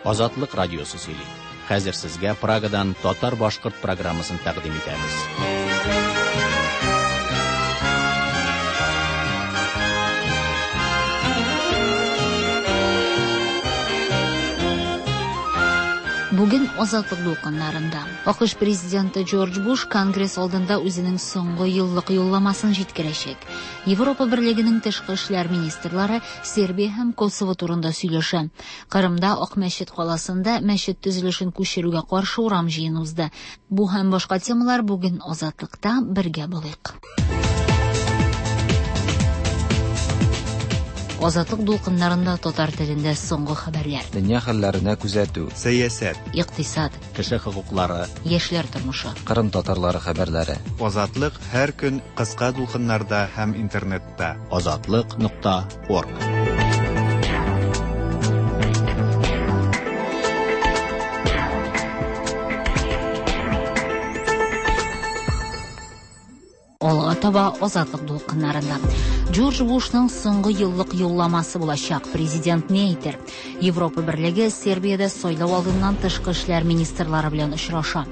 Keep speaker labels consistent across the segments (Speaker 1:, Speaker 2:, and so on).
Speaker 1: Азатлык радиосы сөйли. Хәзер сезгә Прагадан татар-башкорт программасын тәкъдим итәбез.
Speaker 2: Бүген Азатлык дулкыннарында. АКШ президенты Джордж Буш Конгресс алдында үзенең соңгы еллык юлламасын җиткерәчәк. Европа Берлегенең тышкы эшләр министрлары Сербия һәм Косово турында сөйләшә. Кырымда Акмәчет каласында мәчет төзелешен күчерүгә каршы урам җыены узды. Бу һәм башка темалар бүген Азатлыкта бергә булыйк. Азатлык дулкыннарында татар телендә соңгы хәбәрләр.
Speaker 3: Дөнья хәлләренә күзәтү.
Speaker 4: Сәясәт.
Speaker 2: Икътисад.
Speaker 1: Кеше хокуклары.
Speaker 2: Яшьләр тормышы.
Speaker 3: Кырым татарлары хәбәрләре.
Speaker 4: Азатлык һәр көн кыска дулкыннарда һәм интернетта.
Speaker 1: Азатлык.орг.
Speaker 2: Алга таба Азатлык дулкыннарында. Джордж Бушның соңгы еллык юлламасы булачак. Президент ни әйтер? Европа Берлеге Сербиядә сайлау алдыннан тышкы эшләр министрлары белән очраша.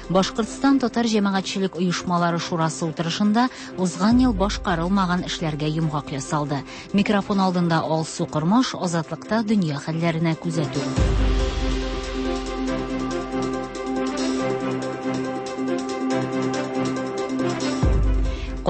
Speaker 2: Башкортстан татар җәмәгатьчелек оешмалары шурасы утырышында узган ел башкарылмаган эшләргә йомгак ясалды. Микрофон алдында Алсу Кормаш, Азатлыкта дөнья хәлләренә күзәтү.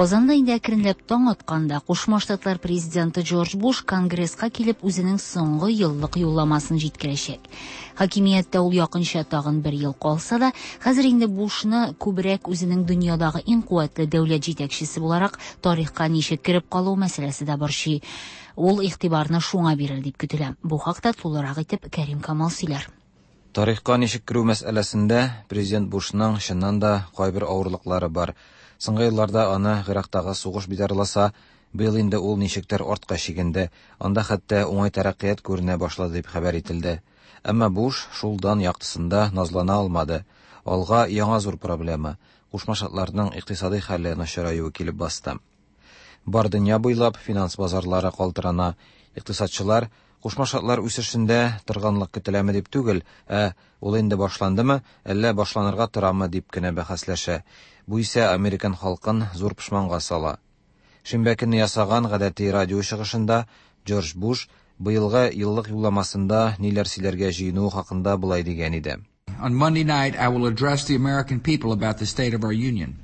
Speaker 2: Казанда инде әкренләп таң атканда, Кушма Штатлар президенты Джордж Буш Конгресска килеп үзенең соңгы еллык юлламасын җиткерәчәк. Хакимияттә ул якынча тагын бер ел калса да, хәзер инде Бушны күбрәк үзенең дөньядагы иң куәтле дәүләт җитәкчесе буларак тарихка ничек кереп калу мәсьәләсе дә борчый. Ул игътибарны шуңа бирер дип көтелә. Бу хакта тулырак итеп Кәрим Камал сөйләр.
Speaker 3: Тарихка ничек керү мәсьәләсендә президент Бушның чыннан да кайбер авырлыклары бар. Соңгы елларда аны Гыйрактагы сугыш битарласа, быел инде ул ничектер артка чигенде. Анда хәтта уңай тәрәккыят күренә башлады дип хәбәр ителде. Әмма Буш шул дан яктысында назлана алмады. Алга яңа зур проблема Кушма Штатларның икътисади хәле начараюы килеп басты. Бар дөнья буйлап финанс базарлары калтырана. Икътисадчылар Кушма Штатлар үсешендә торганлык көтеләме дип түгел, ә ул инде башландымы, әллә башланырга торамы дип кенә бәхәсләшә. Бу исә американ халкын зур пошманга сала. Шимбә көнне ясаган гадәти радио чыгышында Джордж Буш быелгы еллык юлламасында ниләр сөйләргә җыенуы хакында болай дигән иде.
Speaker 5: On Monday night, I will address the American people about the state of our union.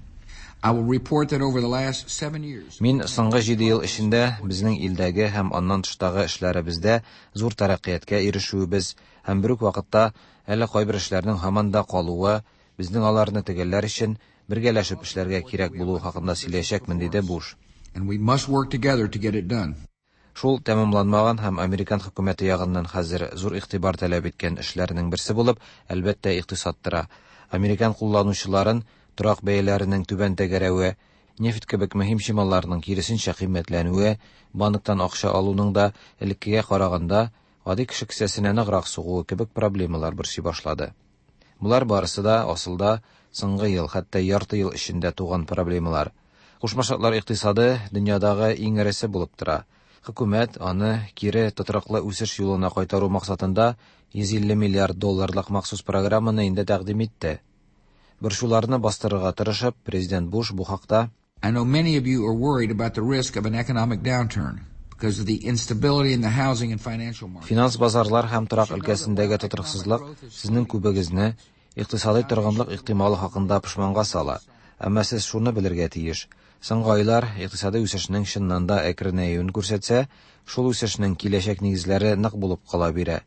Speaker 5: I will report that over the last 7 years.
Speaker 3: Мин соңгы 7 ел эчендә безнең илдәге һәм аннан тыштагы эшләребездә зур тәрәккыятькә ирешүебез һәм бер үк вакытта әле кайбер эшләрнең һаман да калуы, безнең аларны төгәлләр өчен бергәләшеп эшләргә кирәк булуы хакында сөйләячәкмен, диде Буш.
Speaker 5: And we must work together to get it done.
Speaker 3: Шул тәмамланмаган һәм американ хөкүмәте ягыннан хәзер зур игътибар таләп иткән эшләрнең берсе булып, әлбәттә, икътисад тора. Американ кулланучыларын торак бәяләренең түбән тәгәрәве, нефть кебек мөһим чималларның киресенчә кыйммәтләнүе, банктан акча алуның да элеккегә караганда гади кеше кесәсенә ныграк сугуы кебек проблемалар борчый башлады. Болар барысы да асылда соңгы ел, хәтта ярты ел эчендә туган проблемалар. Кушма Штатлар икътисады дөньядагы иң эресе булып тора. Хөкүмәт аны кире тотрыклы үсеш юлына кайтару максатында 150 миллиард долларлык махсус программаны инде тәкъдим итте. Борчуларны бастырырга тырышып, президент Буш бу хакта
Speaker 5: I know many of you are worried about the risk of an economic downturn because of the instability in the housing and financial markets.
Speaker 3: Финанс базарлар һәм торак өлкәсендәге тотрыксызлык сезнең күбегезне икътисадый торгынлык ихтималы хакында пошманга сала. Әмма сез шуны белергә тиеш. Соңгы айлар икътисадый үсешнең чыннан да әкренәюен күрсәтсә, шул үсешнең киләчәк нигезләре нык булып кала бирә.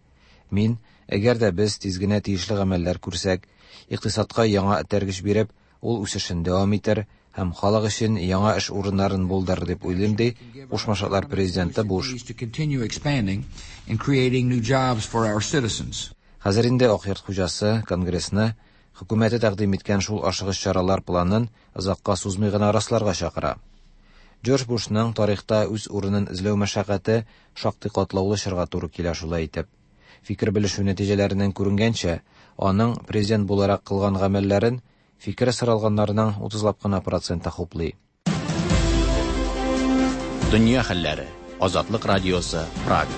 Speaker 3: Мин, әгәр дә без тиз генә тиешле гамәлләр күрсәк, икътисадка яңа этәргеч биреп, ул үсешен дәвам итәр һәм халык өчен яңа эш урыннарын булдырыр дип уйлыйм, ди Кушма Штатлар президенты Буш.
Speaker 5: To continue expanding and creating new jobs for our citizens.
Speaker 3: Хәзер инде Ак йорт хуҗасы Конгрессны хөкүмәте тәкъдим иткән шул ашыгыч чаралар планын озакка сузмый гына расларга чакыра. Джордж Бушның тарихта үз урынын эзләү мәшәкате шактый катлаулы чорга туры килә шулай итеп. Фикер белешү нәтиҗәләреннән күренгәнчә, аның президент буларак кылган гамәлләрен фикере соралганнарның 30лап кына проценты хуплый.
Speaker 1: Дөнья хәлләре. Азатлык радиосы, Прага.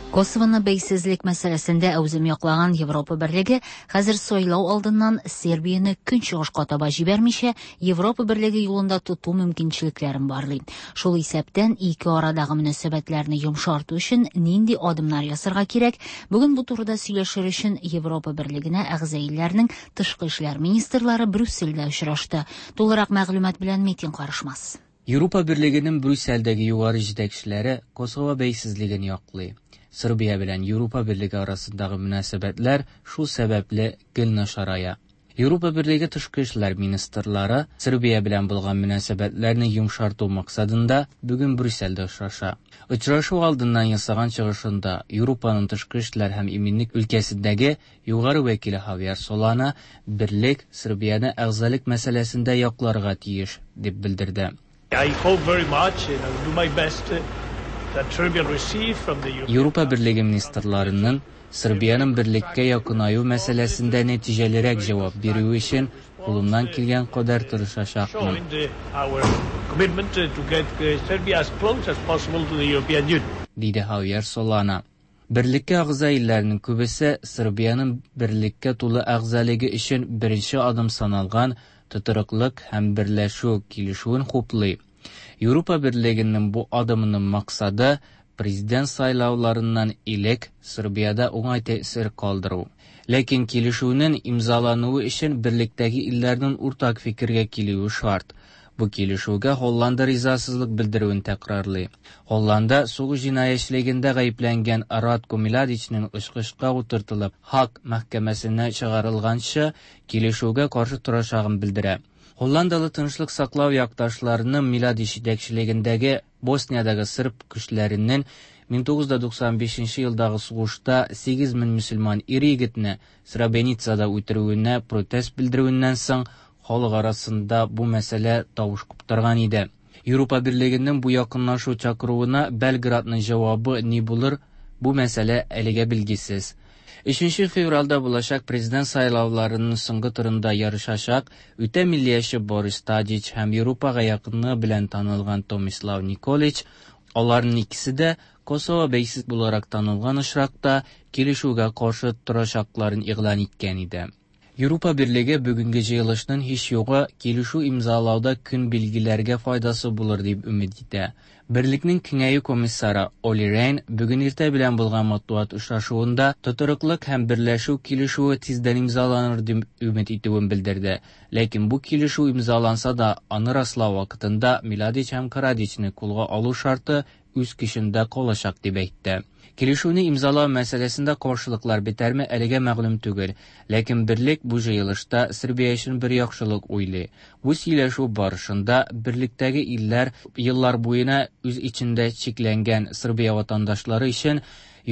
Speaker 2: Косовоны бәйсезлек мәсьәләсендә әүзем яклаган Европа Берлеге хәзер сайлау алдыннан Сербияне көнчыгышка таба җибәрмичә, Европа Берлеге юлында тоту мөмкинчелекләрен барлый. Шул исәптән ике арадагы мөнәсәбәтләрне йомшарту өчен нинди адымнар ясарга кирәк? Бүген бу турыда сөйләшер өчен Европа Берлегенә әгъза илләрнең тышкы эшләр министрлары Брюссельдә очрашты. Тулырак мәгълүмат белән Метин Карышмас.
Speaker 6: Европа Берлегенең Брюссельдәге югары җитәкчеләре Косово бәйсезлеген яклый. Сербия белән Европа Берлеге арасындагы мөнәсәбәтләр шул сәбәпле гел начарая. Европа Берлеге тышкы эшләр министрлары Сербия белән булган мөнәсәбәтләрне йомшарту максатында бүген Брюссельдә очраша. Очрашу алдыннан ясаган чыгышында Европаның тышкы эшләр һәм иминлек өлкәсендәге югары вәкиле Хавьер Солана берлек Сербияне әгъзалык мәсьәләсендә якларга тиеш дип белдерде.
Speaker 7: I hope very much and I will do my best that Serbia receive from the European
Speaker 6: Европа Берлеге министрларының Сербиянең берлеккә якынаю мәсьәләсендә нәтиҗәлерәк җавап бирүе өчен кулымнан килгән кадәр тырышачакмын.
Speaker 7: showing our commitment to get Serbia as close as possible to the European Union.
Speaker 6: Диде Хавьер Солана. Берлеккә әгъза илләрнең күбесе Сербиянең берлеккә тулы әгъзалыгы өчен беренче адым саналган тотрыклык һәм берләшү килешүен хуплый. Европа Берлегенең бу адымының максаты президент сайлауларыннан элек Сербиядә уңай тәэсир калдыру. Ләкин килешүнең имзалануы өчен берлектәге илләрнең уртак фикергә килүе шарт. Бу килешүгә Һолланда ризасызлык белдерүен тәкрарлый. Һолланда сугыш җинаятьчелегендә гаепләнгән Радко Миладичның очкычка утыртылып Һаг мәхкәмәсенә чыгарылганчы килешүгә каршы торачагын белдерә. Һолландалы тынычлык саклау якташларының Миладич җитәкчелегендәге Босниядәге сырб көчләренең 1995 елдагы сугышта 8000 мөселман ир-егетне Сребреницада үтерүенә протест белдерүеннән соң халык арасында бу мәсьәлә тавыш куптарган иде. Европа Берлегенең бу якынлашу чакыруына Белградның җавабы ни булыр, бу мәсьәлә әлегә билгесез. 3 февральдә булачак президент сайлауларының соңгы турында ярышачак үтә миллияче Борис Тадич һәм Европага якынлыгы белән танылган Томислав Николич, аларның икесе дә Косово бәйсез буларак танылган очракта килешүгә каршы торачакларын игълан иткән иде. Европа Берлеге бүгенге җыелышның һич югы килешү имзалауда көн билгеләргә файдасы булыр дип өмет итә. Берлекнең киңәю комиссары Оли Рейн бүген иртә белән булган матбугат очрашуында тотрыклык һәм берләшү килешүе тиздән имзаланыр дип өмет итүен белдерде. Ләкин бу килешү имзаланса да, аны раслау вакытында Миладич һәм Карадичны кулга алу шарты үз көчендә калачак дип әйтте. Килешүне имзалау мәсьәләсендә каршылыклар бетәрме әлегә мәгълүм түгел, ләкин берлек бу җыелышта Сербия өчен бер яхшылык уйлый. Бу сөйләшү барышында берлектәге илләр еллар буена үз эчендә чикләнгән Сербия ватандашлары өчен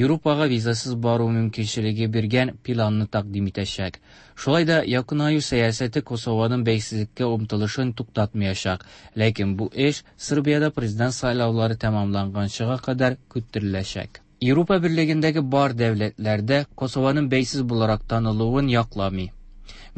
Speaker 6: Европага визасыз бару мөмкинчелеге биргән планны тәкъдим итәчәк. Шулай да якынаю сәясәте Косованың бәйсезлеккә омтылышын туктатмаячак, ләкин бу эш Сербиядә президент сайлаулары тәмамланганчыга кадәр көттереләчәк. Европа Берлегендәге бар дәүләтләрдә Косованың бәйсез буларак танылуын якламый.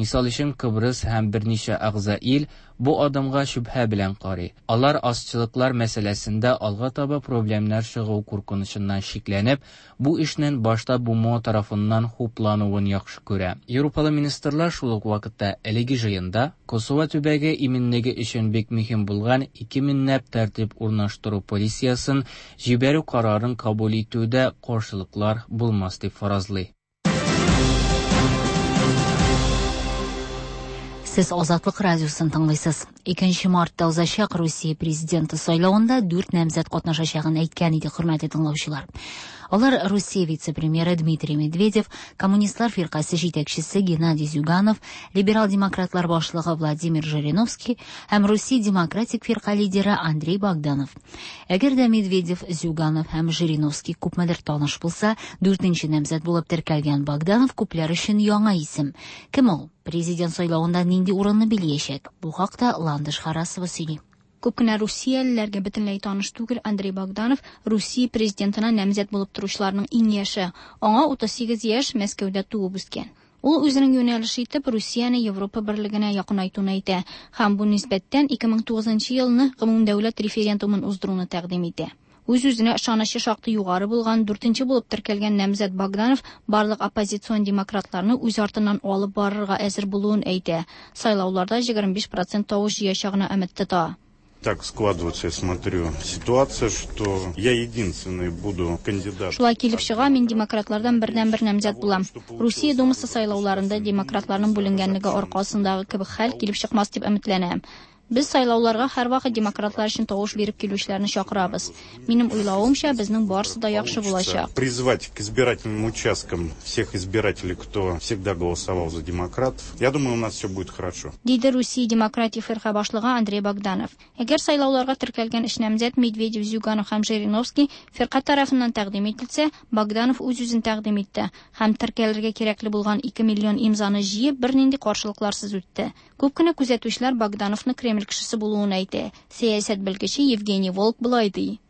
Speaker 6: Мисал өчен Кыбрыс һәм берничә әгъза ил бу адымга шөбһә белән карый. Алар азчылыклар мәсьәләсендә алга таба проблемнар чыгу куркынычыннан шикләнеп, бу эшнең башта БМО тарафыннан хуплануын яхшы күрә. Европалы министрлар шул ук вакытта әлеге җыенда Косово төбәге иминлеге өчен бик мөһим булган 2000 ләп тәртип урнаштыру полициясын җибәрү карарын кабул итүдә каршылыклар булмас дип фаразлый.
Speaker 2: Сез Азатлык радиосын тыңлыйсыз. 2 мартта узачак Русия президенты сайлавында 4 намзәт катнашачагын әйткән иде хөрмәтле тыңлаучылар. Алар Русия вице-премьеры Дмитрий Медведев, Коммунистлар фиркасе җитәкчесе Геннадий Зюганов, либерал-демократлар башлыгы Владимир Жириновский һәм Русия демократик фирка лидеры Андрей Богданов. Әгәр дә Медведев, Зюганов һәм Жириновский күпмедер таныш булса, 4нче намзәт булып теркәлгән Богданов күпләр өчен яңа исем. Кем ул? Президент сайлавында нинди урынны биләячәк? Бу хакта Ландыш Харасова сөйли.
Speaker 8: Күп кенә русиялеләргә бөтенләй таныш түгел Андрей Богданов Русия президентына намзәт булып торучыларның иң яше. Аңа 38 яшь, Мәскәүдә туып үскән. Ул үзенең юнәлеше итеп Русияне Европа берлегенә якынайтуны әйтә һәм бу нисбәттән 2009 елны гомумдәүләт референдумын уздыруны тәкъдим итә. Үз-үзенә ышанычы шактый югары булган, дүртенче булып теркәлгән намзәт Богданов барлык оппозицион демократларны үз артыннан алып барырга әзер булуын әйтә. Сайлауларда 25 процент тавыш җыячагына өмет тота.
Speaker 9: Так складывается, я смотрю, ситуация, что я единственный буду кандидат.
Speaker 8: Шулай килеп чыга, мин демократлардан бердәнбер намзәт булам. Русия Думасы сайлауларында демократларның бүленгәнлеге аркасындагы кебек хәл килеп чыкмас дип өметләнәм. Без сайлауларга һәрвакыт демократлар өчен тавыш биреп килүчеләрне чакырабыз. Минем уйлавымча, безнең барысы да яхшы булачак.
Speaker 9: Призвать к избирательным участкам всех избирателей, кто всегда голосовал за демократов. Я думаю, у нас все будет хорошо.
Speaker 8: Диде Русия демократик фирка башлыгы Андрей Богданов. Әгәр сайлауларга теркәлгән өч намзәт Медведев, Зюганов һәм Жириновский фирка тарафыннан тәкъдим ителсә, Богданов үз-үзен тәкъдим итте һәм теркәлергә кирәкле булган 2 миллион имзаны җыеп, бернинди каршылыкларсыз үтте. Күп кенә күзәтүчеләр Богдановны Кремль кешесе булуын әйтә. Сәясәт белгече Евгений Волк болай ди.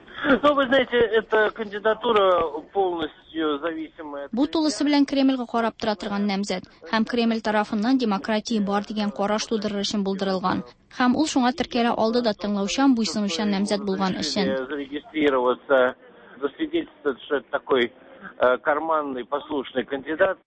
Speaker 10: Ну, вы знаете, эта кандидатура полностью зависимая.
Speaker 8: Бу тулысы белән Кремльгә карап тора торган намзәт һәм Кремль тарафыннан демократия бар дигән караш тудырыр өчен булдырылган. Һәм ул шуңа теркәлә алды да тыңлаучан, буйсынучан намзәт булган өчен.
Speaker 10: Зарегистрироваться, засвидетельствовать, что это такой карманный, послушный кандидат.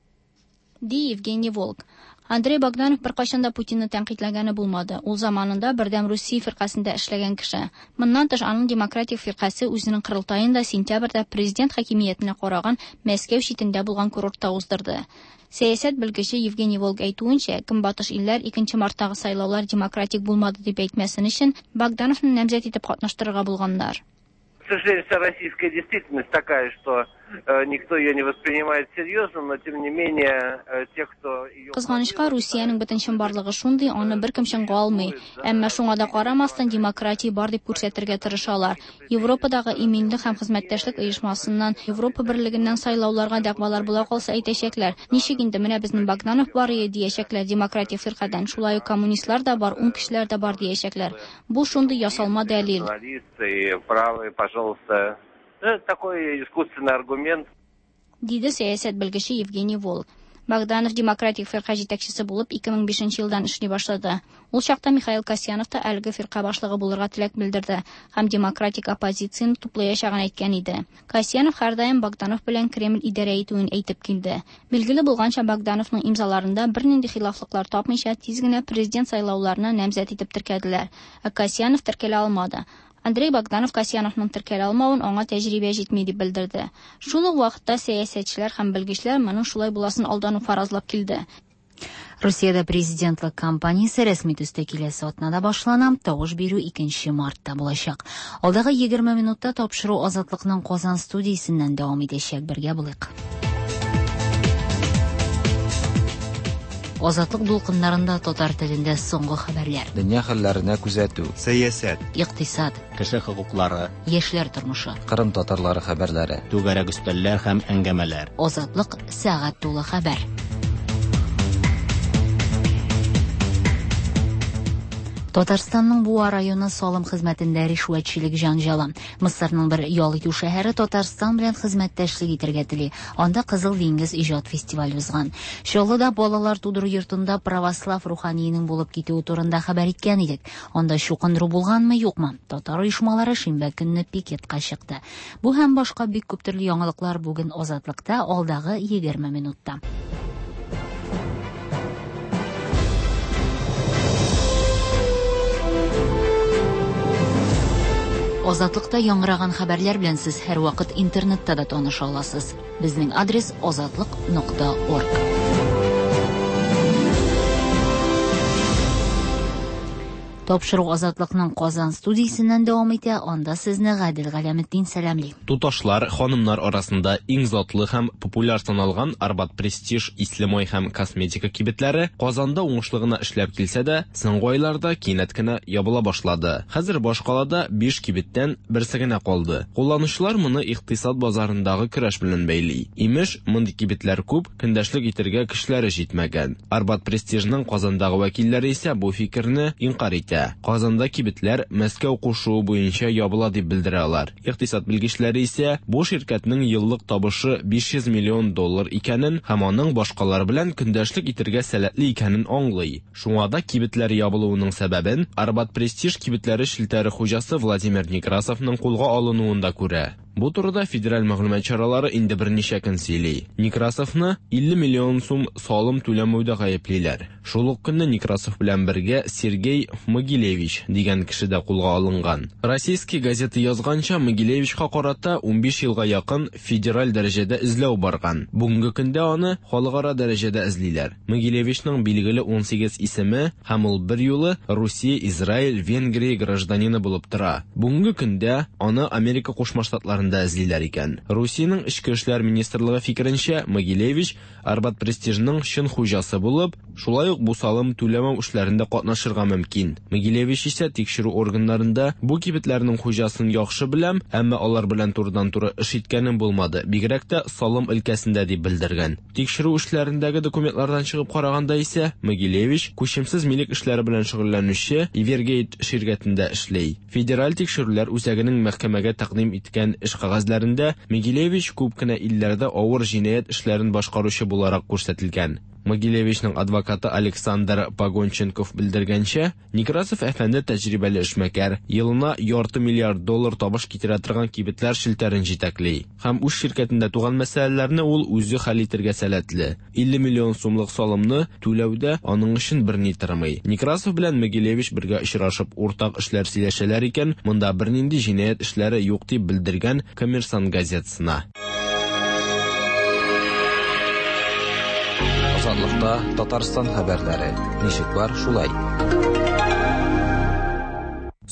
Speaker 8: Ди Евгений Волк. Андрей Богданов беркайчан да Путинны тәнкыйтьләгәне булмады. Ул заманында Бердәм Русия фиркасендә эшләгән кеше. Моннан тыш, аның демократик фиркасе үзенең корылтаен да сентябрьдә президент хакимиятенә караган Мәскәү читендә булган курортта уздырды. Сәясәт белгече Евгений Волк әйтүенчә, Көнбатыш илләр 2 марттагы сайлаулар демократик булмады дип әйтмәсен өчен Богдановны намзәт итеп катнаштырырга булганнар.
Speaker 10: К сожалению, вся российская действительность такая, что никто ее не воспринимает серьезно, но тем не менее те, кто ее...
Speaker 8: Кызганычка, Русиянең бөтен чынбарлыгы шундый, аны беркем чынга алмый. Әмма шуңа да карамастан демократия бар дип күрсәтергә тырышалар. Европадагы иминлек һәм хезмәттәшлек оешмасыннан, Европа берлегеннән сайлауларга дәгъвалар була калса әйтәчәкләр. Ничек инде менә безнең Богданов бар иде диячәкләр демократик фиркадән, шулай ук коммунистлар да бар, уң кешеләр дә бар диячәкләр. Бу шундый ясалма дәлил.
Speaker 10: Националисты, правые, пожалуйста. Это такой искусственный аргумент.
Speaker 8: Диде сәясәт белгече Евгений Волк. Богданов демократик фирка җитәкчесе булып 2005 елдан эшли башлады. Ул чакта Михаил Касьянов та әлеге фирка башлыгы булырга теләк белдерде һәм демократик оппозицияне туплаячагын әйткән иде. Касьянов һәрдаим Богданов белән Кремль идарә итүен әйтеп килде. Билгеле булганча, Богдановның имзаларында бернинди хилафлыклар тапмыйча тиз генә президент сайлауларына намзәт итеп теркәделәр. Ә Касьянов теркәлә алмады. Андрей Богданов Касьяновның теркәлә алмавын аңа тәҗрибә җитми дип белдерде. Шул ук вакытта сәясәтчеләр һәм белгечләр моның шулай буласын алдан ук фаразлап килде.
Speaker 2: Русиядә президентлык кампаниясе рәсми төстә киләсе атнада башлана, тавыш бирү 2 мартта булачак. Алдагы 20 минутта тапшыру Азатлыкның Казан студиясеннән дәвам итәчәк. Бергә булыйк. Азатлык дулкыннарында татар телендә соңгы хәбәрләр.
Speaker 3: Дөнья хәлләренә күзәтү.
Speaker 4: Сәясәт.
Speaker 2: Икътисад.
Speaker 1: Кеше хокуклары.
Speaker 2: Яшьләр тормышы.
Speaker 3: Кырым татарлары хәбәрләре.
Speaker 1: Түгәрәк өстәлләр һәм әңгәмәләр.
Speaker 2: Азатлык сәгать тулы хәбәр. Татарстанның Буа районы салым хезмәтендә ришвәтчелек җанҗалы. Мысырның бер ял итү шәһәре Татарстан белән хезмәттәшлек итәргә тели. Анда Кызыл диңгез иҗат фестивале узган. Чаллыда балалар тудыру йортында православ руханиенең булып китүе турында хәбәр иткән идек. Анда чукындыру булганмы, юкмы? Татар оешмалары шимбә көнне пикетка чыкты. Бу һәм башка бик күп төрле яңалыклар бүген Азатлыкта алдагы 20 минутта. Азатлыкта яңгыраган хәбәрләр белән сез һәрвакыт интернетта да таныша аласыз. Безнең адрес азатлык.org. Тапшыру Азатлыкның Казан студиясеннән дәвам итә. Анда сезне Гадел Галәметдин сәламли.
Speaker 11: Туташлар, ханымнар арасында иң затлы һәм популяр саналган Арбат Престиж, ислемай һәм косметика кибетләре Казанда уңышлы гына эшләп килсә дә, соңгы айларда кинәт кенә ябыла башлады. Хәзер башкалада 5 кибеттән берсе генә калды. Кулланучылар моны икътисад базарындагы көрәш белән бәйли. Имеш, мондый кибетләр күп, көндәшлек итәргә көчләре җитмәгән. Арбат Престижның Казандагы вәкилләре исә бу фикерне инкарь итә. белдерә. Казанда кибетләр Мәскәү кушуы буенча ябыла дип белдерә алар. Икътисад белгечләре исә бу ширкәтнең еллык табышы 500 миллион доллар икәнен һәм аның башкалар белән көндәшлек итергә сәләтле икәнен аңлый. Шуңа да кибетләр ябылуының сәбәбен Арбат Престиж кибетләре челтәре хуҗасы Владимир Некрасовның кулга алынуында күрә. Бу турыда федераль мәгълүмат чаралары инде берничә көн сөйли. Некрасовны 50 миллион сум салым түләмәүдә гаеплиләр. Шул ук көнне Некрасов белән бергә Сергей Могилевич дигән кеше дә кулга алынган. Российский газета язганча, Могилевичка карата 15 елга якын федераль дәрәҗәдә эзләү барган. Бүгенге көндә аны халыкара дәрәҗәдә эзлиләр. Могилевичның билгеле 18 исеме һәм ул берьюлы Русия, Израиль, Венгрия гражданины булып тора. Бүгенге көндә аны Америка Кушма Штатларында эзлиләр икән. Русиянең Эчке эшләр министрлыгы фикеренчә, Могилевич Арбат Престижның чын хуҗасы булып, шулай ук бу салым түләмәү эшләрендә катнашырга мөмкин. Могилевич исә тикшерү органнарында бу кибетләрнең хуҗасын яхшы беләм, әмма алар белән турыдан-туры эш иткәнем булмады, бигрәк тә салым өлкәсендә дип белдергән. Тикшерү эшләрендәге документлардан чыгып караганда исә, Могилевич күчемсез милек эшләре белән шөгыльләнүче Ивергейт ширкәтендә эшли. Федераль тикшерүләр үзәгенең мәхкәмәгә тәкъдим иткән эш кәгазьләрендә Могилевич күп кенә илләрдә авыр җинаять эшләрен башкаручы буларак күрсәтелгән. Могилевичның адвокаты Александр Погонченков белдергәнчә, Некрасов әфәнде тәҗрибәле эшмәкәр, елына ярты миллиард доллар табыш китерә торган кибетләр челтәрен җитәкли. Һәм үз ширкәтендә туган мәсьәләләрне ул үзе хәл итергә сәләтле. 50 миллион сумлык салымны түләү дә аның өчен берни тормый. Некрасов белән Могилевич бергә очрашып уртак эшләр сөйләшәләр икән, монда бернинди җинаять эшләре юк дип белдергән Коммерсант газетасына.
Speaker 3: Азатлыкта Татарстан хәбәрләре. Ничек бар, шулай.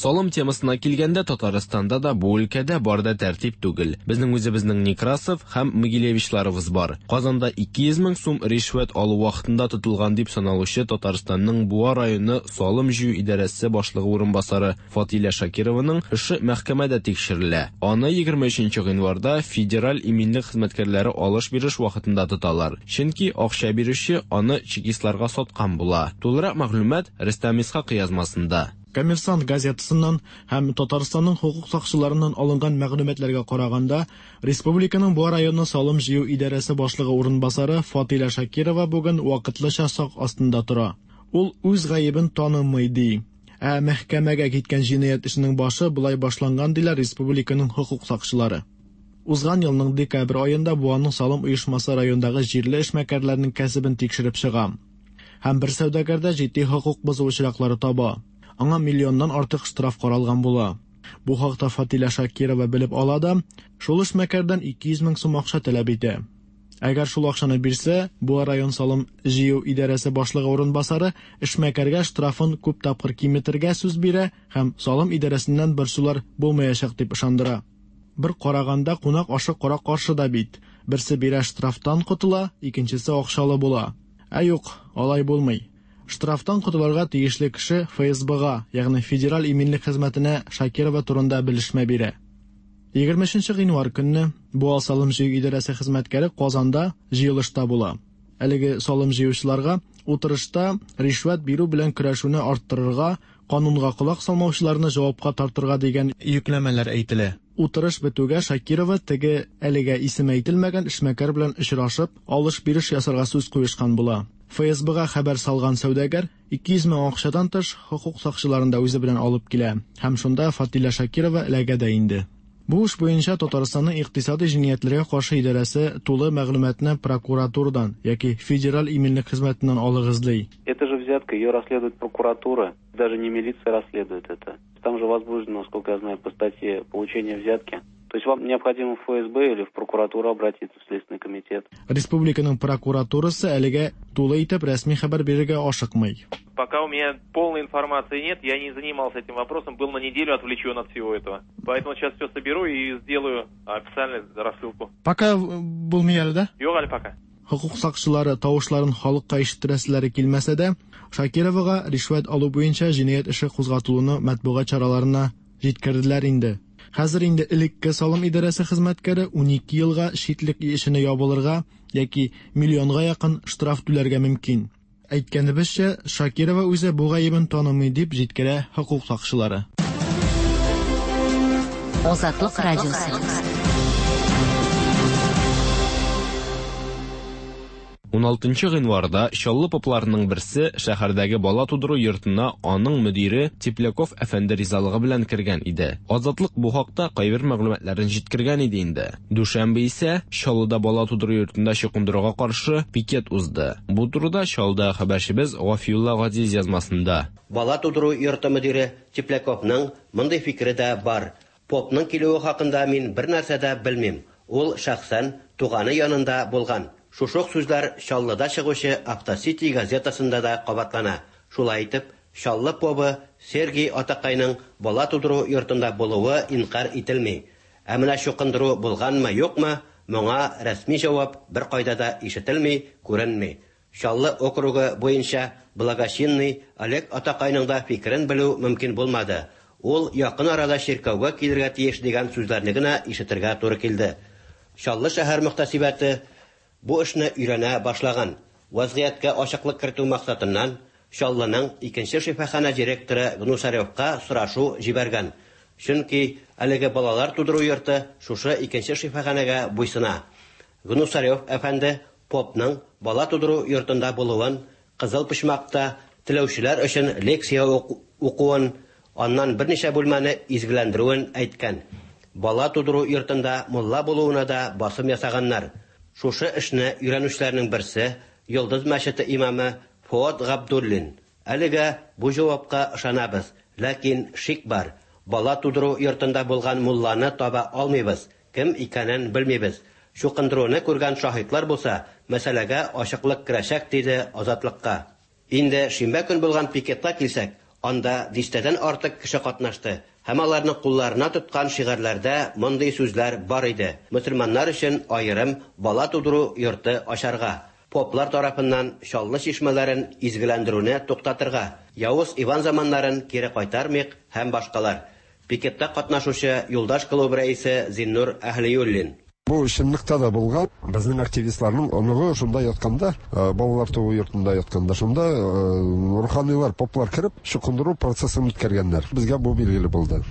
Speaker 11: Салым темасына килгәндә, Татарстанда да бу өлкәдә бар да тәртип түгел. Безнең үзебезнең Некрасов һәм Могилевичларыбыз бар. Казанда 200 мең сум ришвәт алу вакытында тотылган дип саналучы Татарстанның Буа районы салым җыю идарәсе башлыгы урынбасары Фатилә Шакированың эше мәхкәмәдә тикшерелә. Аны 23 гыйнварда федераль иминлек хезмәткәрләре алыш-биреш вакытында тоталар. Чөнки акча бирүче аны чекистларга саткан була. Тулырак мәгълүмат Рөстәм Исхакый язмасында.
Speaker 12: Коммерсант газетасыннан һәм Татарстанның хокук сакчыларыннан алынган мәгълүматларга караганда, республиканың Буа районы салым җыю идарәсе башлыгы урынбасары Фатилә Шакирова бүген вакытлыча сак астында тора. Ул үз гаебен танымый, ди. Ә мәхкәмәгә киткән җинаять эшенең башы болай башланган, диләр республиканың хокук сакчылары. Узган елның декабрь аенда Буаның салым оешмасы райондагы җирле эшмәкәрләрнең кәсебен тикшереп чыга. Һәм бер сәүдәгәрдә җитди хокук бозу очраклары таба. Аңа миллионнан артык штраф каралган була. Бу хакта Фатилә Шакирова белеп ала да, шул эшмәкәрдән 200 мең сум акча таләп итә. Әгәр шул акчаны бирсә, Буа район салым җыю идарәсе башлыгы урынбасары эшмәкәргә штрафын күп тапкыр киметергә сүз бирә һәм салым идарәсеннән борчулар булмаячак дип ышандыра. Бер караганда кунак ашы кара каршы да бит. Берсе бирә штрафтан котыла, икенчесе акчалы була. Ә юк, алай булмый. Штрафтан котылырга тиешле кеше ФСБга, ягъни Федераль иминлек хезмәтенә Шакирова турында белешмә бирә. 23 гыйнвар көнне Буа салым җыю идарәсе хезмәткәре Казанда җыелышта була. Әлеге салым җыючыларга утырышта ришвәт бирү белән көрәшүне арттырырга, канунга колак салмаучыларны җавапка тартырга дигән йөкләмәләр әйтелә. Утырыш бетүгә Шакирова теге әлегә исеме әйтелмәгән эшмәкәр белән очрашып, алыш-биреш ясарга сүз куешкан була. ФСБга хәбәр салган сәүдәгәр 200 мең акчадан тыш хокук сакчыларын да үзе белән алып килә һәм шунда Фатилә Шакирова эләгә дә инде. Бу эш буенча Татарстанның икътисади җинаятьләргә каршы идарәсе тулы мәгълүматны прокуратурадан яки Федераль иминлек хезмәтеннән алыгыз ди.
Speaker 13: Это же взятка, ее расследует прокуратура, даже не милиция расследует это. Там же возбуждено, насколько я знаю, по статье получение взятки. То есть вам необходимо в ФСБ или в прокуратуру обратиться, в Следственный комитет.
Speaker 12: Республиканың прокуратурасы әлегә тулы итеп рәсми хәбәр бирергә ашыкмый.
Speaker 14: Пока у меня полной информации нет, я не занимался этим вопросом, был на неделю отвлечен от всего этого. Поэтому сейчас все соберу и сделаю официальную рассылку.
Speaker 12: Пока булмый әле, да?
Speaker 14: Юк әле пока.
Speaker 12: Хокук сакчылары тавышларын халыкка ишеттерәселәре килмәсә дә, Шакировага ришвәт алу буенча җинаять эше кузгатылуны матбугат чараларына җиткерделәр инде. Хәзер инде элекке салым идарәсе хезмәткәре 12 елга читлек эшенә ябылырга яки миллионга якын штраф түләргә мөмкин. Әйткәнебезчә, Шакирова үзе бу гаебен танымый, дип җиткерә хокук сакчылары.
Speaker 2: Азатлык радиосы.
Speaker 11: 16 гыйнварда Чаллы попларының берсе шәһәрдәге бала тудыру йортына аның мөдире Тепляков әфәнде ризалыгы белән кергән иде. Азатлык бу хакта кайбер мәгълүматларын җиткергән иде инде. Дүшәмбе исә Чаллыда бала тудыру йортында чукындыруга каршы пикет узды. Бу турыда Чаллыда хәбәрчебез Гафиулла Газиз язмасында.
Speaker 15: Бала тудыру йорты мөдире Тепляковның мондый фикере дә бар. Попның килүе хакында мин бернәрсә дә белмим. Ул шәхсән туганы янында булган. Шушы ук сүзләр Чаллыда чыгучы Автосити газетасында да кабатлана. Шулай итеп, Чаллы побы Сергий атакайның бала тудыру йортында булуы инкарь ителми. Ә менә чукындыру булганмы-юкмы, моңа рәсми җавап беркайда да ишетелми, күренми. Чаллы округы буенча благочинный Олег атакайның да фикерен белү мөмкин булмады. Ул якын арада чиркәүгә килергә тиеш дигән сүзләрне генә ишетергә туры килде. Чаллы шәһәр мөхтәсибәте бу эшне өйрәнә башлаган. Вазгыятькә ачыклык кертү максатыннан Чаллының икенче шифаханә директоры Гнусаревка сорашу җибәргән. Чөнки әлеге балалар тудыру йорты шушы икенче шифаханәгә буйсына. Гнусарев әфәнде попның бала тудыру йортында булуын, кызыл почмакта теләүчеләр өчен лекция укуын, аннан берничә бүлмәне изгеләндерүен әйткән. Бала тудыру йортында мулла булуына да басым ясаганнар. Шушы эшне өйрәнүчеләрнең берсе Йолдыз мәчете имамы Фуат Габдуллин. Әлегә бу җавапка ышанабыз, ләкин шик бар. Бала тудыру йортында булган мулланы таба алмыйбыз, кем икәнен белмибез. Чукындыруны күргән шаһитлар булса, мәсьәләгә ачыклык керәчәк, диде Азатлыкка. Инде шимбә көн булган пикетка килсәк, анда дистәдән артык кеше катнашты һәм аларның кулларына тоткан шигарьләрдә мондый сүзләр бар иде: Мөселманнар өчен аерым бала тудыру йорты ачарга, поплар тарафыннан Чаллы чишмәләрен изгеләндерүне туктатырга, Явыз Иван заманнарын кире кайтармыйк һәм башкалар. Пикетта катнашучы Юлдаш клубы рәисе Зиннур Әһлиуллин.
Speaker 16: Бу чынлыкта да булган. Безнең активистларның оныгы шунда ятканда, балалар туу йортында ятканда, шунда руханилар, поплар кереп, чукындыру процессын үткәргәннәр. Безгә бу билгеле булды.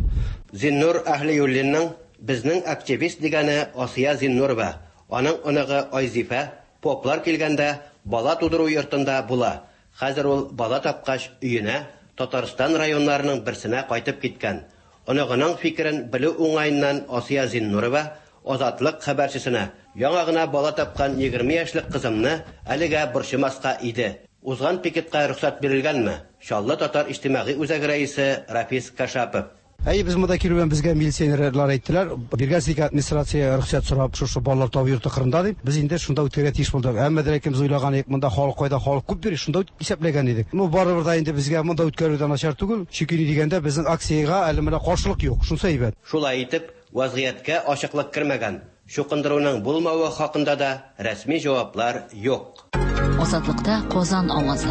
Speaker 15: Зиннур Әһлиуллинның безнең активист дигәне Асия Зиннурова. Аның оныгы Айзифә поплар килгәндә бала тудыру йортында була. Хәзер ул бала тапкач өенә Татарстан районнарының берсенә кайтып киткән. Оныгының фикерен белү уңаеннан Асия Зиннурова Азатлык хәбәрчесенә: "Яңа гына бала тапкан 20 яшьлек кызымны әлегә борчымаска иде. Узган пикетка рөхсәт бирелгәнме?" Чаллы татар иҗтимагый үзәге рәисе Рафис Кашапов.
Speaker 17: Әй, без монда килү белән безгә милиционерлар әйттеләр, биргәнсез администрация рөхсәт сорап шушы балалар табу йорты кырында дип, без инде шунда үткәрергә тиеш булдык. Әмма дә ләкин без уйлаган идек, монда халык кайда, халык күп йөри, шунда исәпләгән идек. Ну, барыбер да инде безгә монда үткәрү дә начар түгел, чөнки ни дигәндә безнең акциягә әле менә каршылык юк, шунысы әйбәт.
Speaker 15: Шулай итеп, вазгыятькә ачыклык кермәгән. Чукындыруның булмавы хакында да рәсми җаваплар юк.
Speaker 2: Азатлыкта Казан авазы.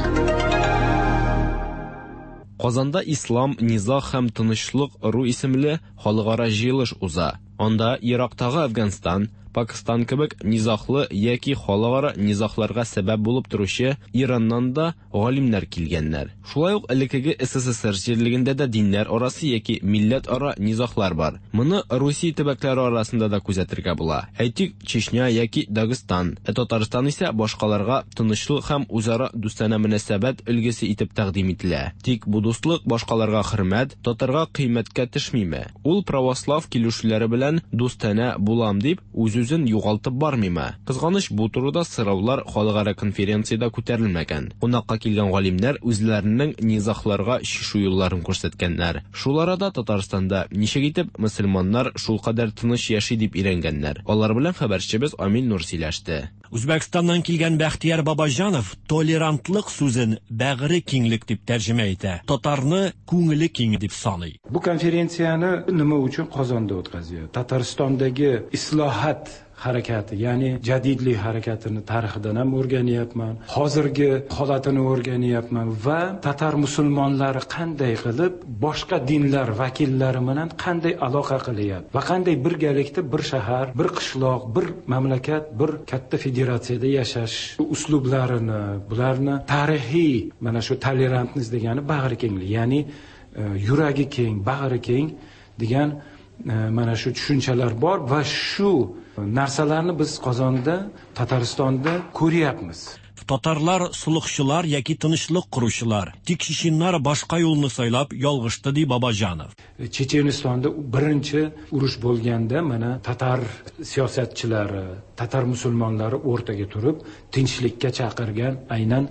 Speaker 11: Казанда Ислам, низаг һәм тынычлык ыру исемле халыкара җыелыш уза. Анда Ирактагы Әфганстан, Пакистан кебек низаглы яки халыкара низагларга сәбәп булып торучы Ираннан да галимнәр килгәннәр. Шулай ук элеккеге СССР җирлегендә дә диннәр арасы яки милләтара низаглар бар. Моны Русия төбәкләре арасында да күзәтергә була. Әйтик, Чечня яки Дагыстан. Ә Татарстан исә башкаларга тынычлык һәм үзара дустанә мөнәсәбәт өлгесе итеп тәкъдим ителә. Тик бу дуслык башкаларга хөрмәт, татарга кыйммәткә төшмиме? Ул православ килешүләре белән дустанә булам дип үз-үзен югалтып бармыймы? Кызганыч, бу турыда сораулар халыкара конференциядә күтәрелмәгән. Кунакка килгән галимнәр үзләренең низагларга чишү юлларын күрсәткәннәр. Шул арада Татарстанда ничек итеп мөселманнар шулкадәр тыныч яши дип өйрәнгәннәр. Алар белән хәбәрчебез Амил Нур сөйләште.
Speaker 18: Үзбәкстаннан килгән Бәхтияр Бабаҗанов толерантлык сүзен бәгыре киңлек дип тәрҗемә итә. Татарны күңеле киң дип саный.
Speaker 19: Бу конференсияне nima uchun Qozonda o'tkazyapti? Tataristondagi islohat harakati, ya'ni jadidlik harakatini tarixidan ham o'rganyapman, hozirgi holatini o'rganyapman va tatar musulmonlari qanday qilib boshqa dinlar vakillari bilan qanday aloqa qilyapti va qanday birgalikda bir shahar, bir qishloq, bir mamlakat, bir katta federatsiyada yashash uslublarini, bularni tarixiy mana shu tolerantность degani bag'rikenglik, ya'ni yuragi keng, bag'ri keng degan mana shu tushunchalar bor va shu narsalarni biz Qozonda, Tataristonda ko'ryapmiz.
Speaker 18: Татарлар солыхчылар яки тынычлык коручылар. Тик чеченнар башка юлны сайлап ялгышты, ди Бабаҗанов.
Speaker 19: Chechenistonda birinchi urush bo'lganda mana tatar siyosatchilari, tatar musulmonlari o'rtaga turib tinchlikka chaqirgan, aynan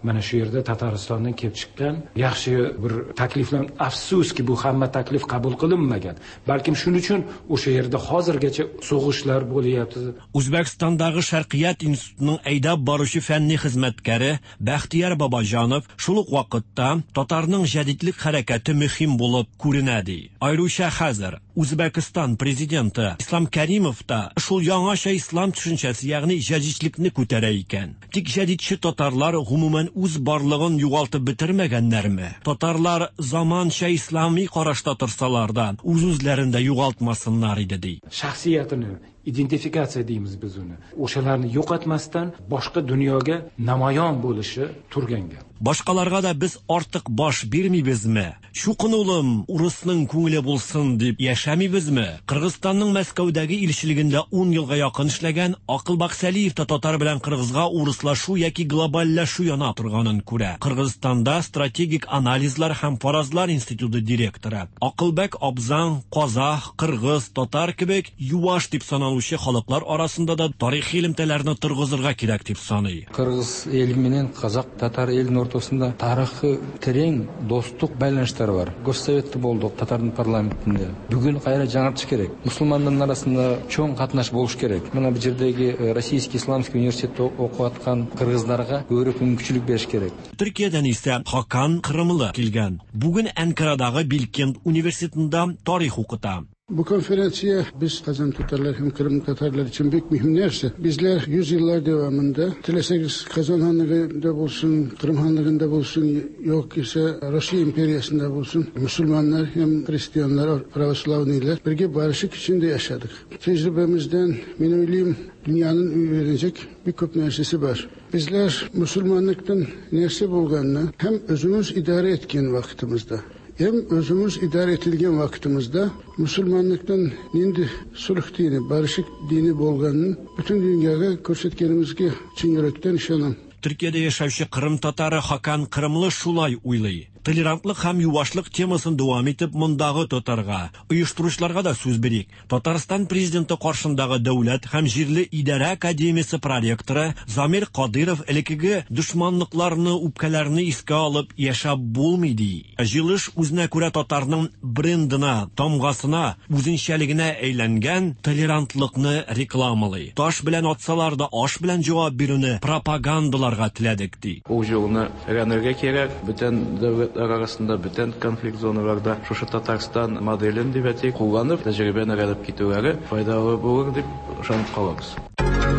Speaker 19: mana shu yerda Tataristondan kelib chiqqan yaxshi bir takliflar. Afsuski, bu hamma taklif qabul qilinmagan. Balkim shuning uchun o'sha yerda hozirgacha so'g'ishlar bo'lyapti.
Speaker 18: Үзбәкстандагы Шәркыят институтының әйдәп баручы фәнни хезмәткәре Бәхтияр Бабаҗанов шул ук вакытта татарның җәдидлек хәрәкәте мөһим булып күренә ди. Аеруча хәзер Үзбәкстан президенты Ислам Кәримов та шул яңача ислам төшенчәсе, ягъни җәдидлекне күтәрә икән. Тик җәдидче татарлар гомумән үз барлыгын югалтып бетермәгәннәрме? Татарлар заманча ислами карашта торсалар да, үз-үзләрен дә югалтмасыннар иде ди.
Speaker 19: Shaxsiyatini identifikatsiya deymiz biz uni. O'shalarni yo'qotmasdan boshqa dunyoga namoyon bo'lishi turgan gap.
Speaker 18: Башкаларга да без артык баш бирмибезме? Чукын улым, урысның күңеле булсын дип яшәмибезме? Кыргызстанның Мәскәүдәге илчелегендә 10 елга якын эшләгән Акылбак Сәлиев та татар белән кыргызга урыслашу яки глобальләшү яна торганын күрә. Кыргызстанда стратегик анализлар һәм фаразлар институты директоры Акылбек абзаң казах, кыргыз, татар кебек юаш дип саналучы халыклар арасында да тарихи элемтәләрне торгызырга кирәк дип саный.
Speaker 20: Кыргыз эли менен казак, татар элинин ортосунда тарыхы терең достук байланыштар бар. Госсоветте болдук татардын парламентинде. Бүгүн кайра жаңыртыш керек. Мусулмандын арасында чоң катнаш болуш керек. Мына бул жердеги Российский исламский университетте окуп аткан кыргыздарга көбүрөөк мүмкүнчүлүк бериш керек.
Speaker 18: Төркиядән исә Хакан Кырымлы килгән. Бүген Анкарадагы Билкент университетында тарих укыта.
Speaker 21: Bu konferansiya biz Kazan Tatarlar hem Kırım Tatarlar için büyük mühim nerse. Bizler yüzyıllar devamında dileseniz Kazan Hanlığı'nda bulsun, Kırım Hanlığı'nda bulsun, yok ise Rusya İmperiyası'nda bulsun. Müslümanlar hem Hristiyanlar, Pravoslavniler birge barışık içinde yaşadık. Tecrübemizden men öyleyim dünyanın öğrenecek bir köp nersesi var. Bizler Müslümanlıktan nerse bulganını hem özümüz idare etken vakitimizde hem özümüz idare etilgen vakitimizde Müslümanlıktan nindi sulh dini, barışık dini bolganını bütün dünyaya көрсеткенімізге чын yürekten işanam.
Speaker 18: Төркиядә яшәүче Кырым татары Хакан Кырымлы шулай уйлый. Толерантлык һәм юашлык темасын дәвам итеп мондагы татарга, оештыручыларга да сүз бирик. Татарстан президенты каршындагы дәүләт һәм җирле идарә академиясе проректоры Замир Кадыров элеккеге дошманлыкларны, үпкәләрне искә алып яшәп булмый ди. Җыелыш үзенә күрә татарның брендына, тамгасына, үзенчәлегенә әйләнгән толерантлыкны рекламалый. Таш белән атсалар да аш белән җавап бирүне пропагандаларга теләдек ди.
Speaker 22: Ул юлны өйрәнергә кирәк. Бүтән дәүләтләр арасында, бүтән конфликт зоналарда шушы Татарстан моделен дип әйтик, кулланып, тәҗрибәне өйрәнеп китүләре файдалы булыр дип ышанып калабыз.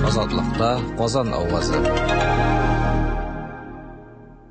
Speaker 3: Азатлыкта Казан авазы.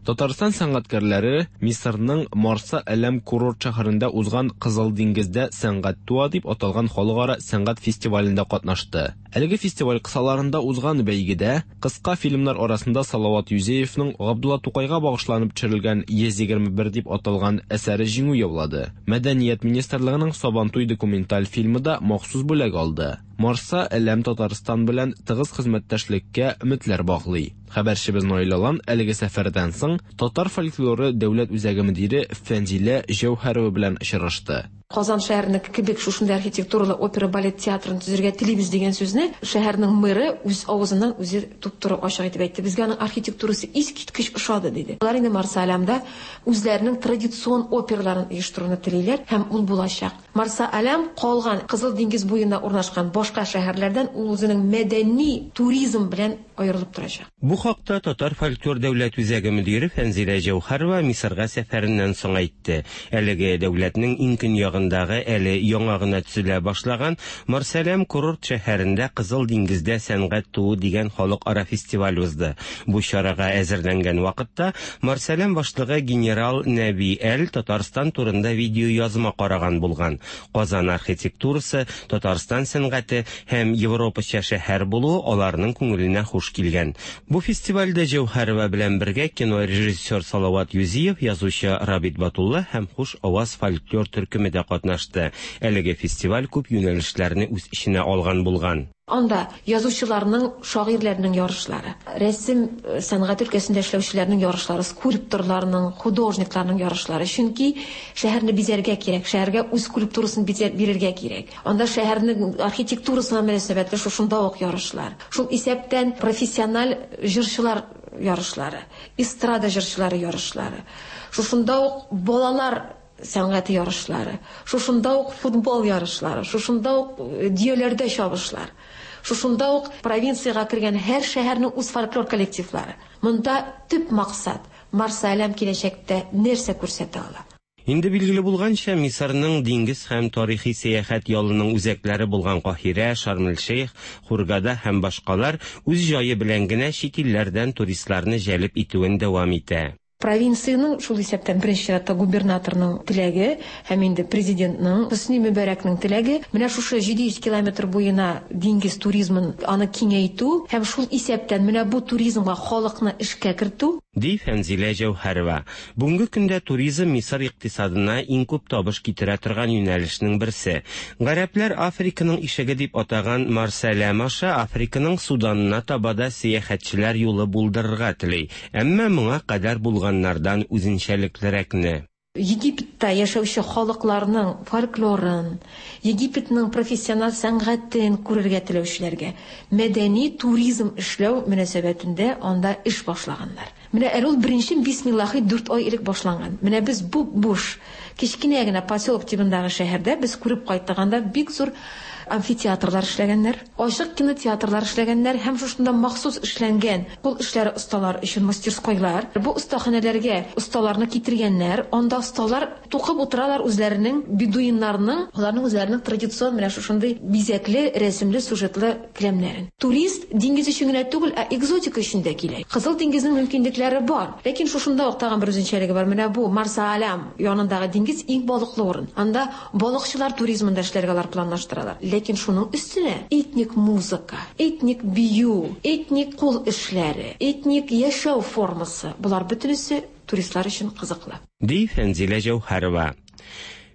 Speaker 11: Татарстан сәнгатькәрләре Мисырның Марса Әләм курорт шәһәрендә узган Кызыл диңгездә сәнгать туа дип аталган халыкара сәнгать фестивалендә катнашты. Әлеге фестиваль кысаларында узган бәйгедә кыска фильмнар арасында Салават Юзеевның Габдулла Тукайга багышланып төшерелгән 121 дип аталган әсәре җиңү яулады. Мәдәният министрлыгының Сабантуй документаль фильмы да махсус бүләк алды. Марса Әләм Татарстан белән тыгыз хезмәттәшлеккә өметләр баглый. Хәбәрчебез Наил Алан әлеге сәфәрдән соң Татар фольклоры дәүләт үзәге мөдире Фәнзилә Җәүһәрова белән очрашты.
Speaker 23: Казан шәһәренеке кебек шушындай архитектуралы опера балет театрын төзергә телибез дигән сүзне шәһәрнең мэры үз авызыннан үзе туп-туры ачык итеп әйтте. Безгә аның архитектурасы искиткеч ошады диде. Алар инде Марса Әләмдә үзләренең традицион операларын оештыруны телиләр һәм ул булачак. Марса Әләм калган Кызыл диңгез буенда урнашкан башка шәһәрләрдән ул үзенең мәдәни туризм белән аерылып торачак.
Speaker 5: Бу хакта Татар фольклор дәүләт үзәге мөдире Фәнзилә Җәүһәрова Мисырга сәфәреннән соң әйтте. Әлеге дәүләтнең иң көньягындагы әле яңа гына төзелә башлаган Марсәләм курорт шәһәрендә Кызыл диңгездә сәнгать туу дигән халыкара фестиваль узды. Бу чарага әзерләнгән вакытта Марсәләм башлыгы генерал Нәби Әл Татарстан турында видеоязма караган булган. Казан архитектурасы, Татарстан сәнгате һәм европача шәһәр булуы аларның күңеленә хуш килгән. Бу фестивальдә Җәүһәрова белән бергә кинорежиссер Салават Юзиев, язучы Рабит Батулла һәм Хуш аваз фольклор төркеме дә катнашты. Әлеге фестиваль күп юнәлешләрне үз эченә алган булган.
Speaker 23: Анда язучыларның, шагыйрьләрнең ярышлары, рәсем сәнгате өлкәсендә эшләүчеләрнең ярышлары, скульпторларның, художникларның ярышлары. Чөнки шәһәрне бизәргә кирәк, шәһәргә үз скульптурасын бирергә кирәк. Анда шәһәрнең архитектурасына мөнәсәбәтле шушында ук ярышлар. Шул исәптән профессиональ җырчылар ярышлары, эстрада җырчылары ярышлары. Шушында ук балалар сәнгате ярышлары, шушында ук футбол ярышлары, шушында ук дөяләрдә чабышлар. Шушында ук провинциягә кергән һәр шәһәрнең үз фольклор коллективлары. Монда төп максат Марса-Әләм киләчәктә нәрсә күрсәтә ала.
Speaker 5: Инде билгеле булганча, Мисырның диңгез һәм тарихи сәяхәт ялының үзәкләре булган Каһирә, Шарм-эль-Шейх, Хургада һәм башкалар үз җае белән генә чит илләрдән туристларны җәлеп итүен дәвам итә.
Speaker 23: Провинциянең, шул исәптән беренче чиратта губернаторның теләге һәм инде президентның, Хөсни Мөбәрәкнең теләге, менә шушы 700 километр буена диңгез туризмын аны киңәйтү һәм шул исәптән менә бу туризмга халыкны эшкә кертү.
Speaker 5: Ди Фәнзилә Җәүһәрова. Бүгенге көндә туризм Мисыр икътисадына иң күп табыш китерә торган юнәлешнең берсе. Гарәпләр Африканың ишеге дип атаган Марсәләм аша Африканың Суданына таба да сәяхәтчеләр юлы булдырырга тели. Әмма моңа кадәр булганнардан үзенчәлеклерәкне.
Speaker 23: Египетта яшәүче халыкларның фольклорын, Египетның профессиональ сәнгатен күрергә теләүчеләргә мәдәни туризм эшләү мөнәсәбәтендә анда эш башлаганнар. Менә әле ул беренче бисмиллахи дүрт ай элек башланган. Менә без буп-буш, кечкенә генә поселок тибындагы шәһәрдә без күреп кайттык, анда бик зур амфитеатрлар эшләгәннәр, ачык кинотеатрлар эшләгәннәр һәм шушында махсус эшләнгән кул эшләре осталар өчен мастерскойлар. Бу остаханәләргә осталарны китергәннәр, анда осталар тукып утыралар үзләренең бедуиннарның, аларның үзләренең традицион менә шушындый бизәкле, рәсемле, сюжетлы келәмнәрен. Турист диңгез өчен генә түгел, ә экзотика өчен дә килә. Кызыл диңгезнең мөмкинлекләре бар. Ләкин шушында ук тагын бер үзенчәлеге бар. Менә бу Марса-Алям янындагы диңгез иң балыклы урын. Анда балыкчылар туризмын да эшләргә алар планлаштыралар. Ләкин шуның өстенә этник музыка, этник бию, этник кул эшләре, этник яшәү формасы, болар бөтенесе туристлар өчен кызыклы.
Speaker 5: Ди Фәнзилә Җәүһәрова.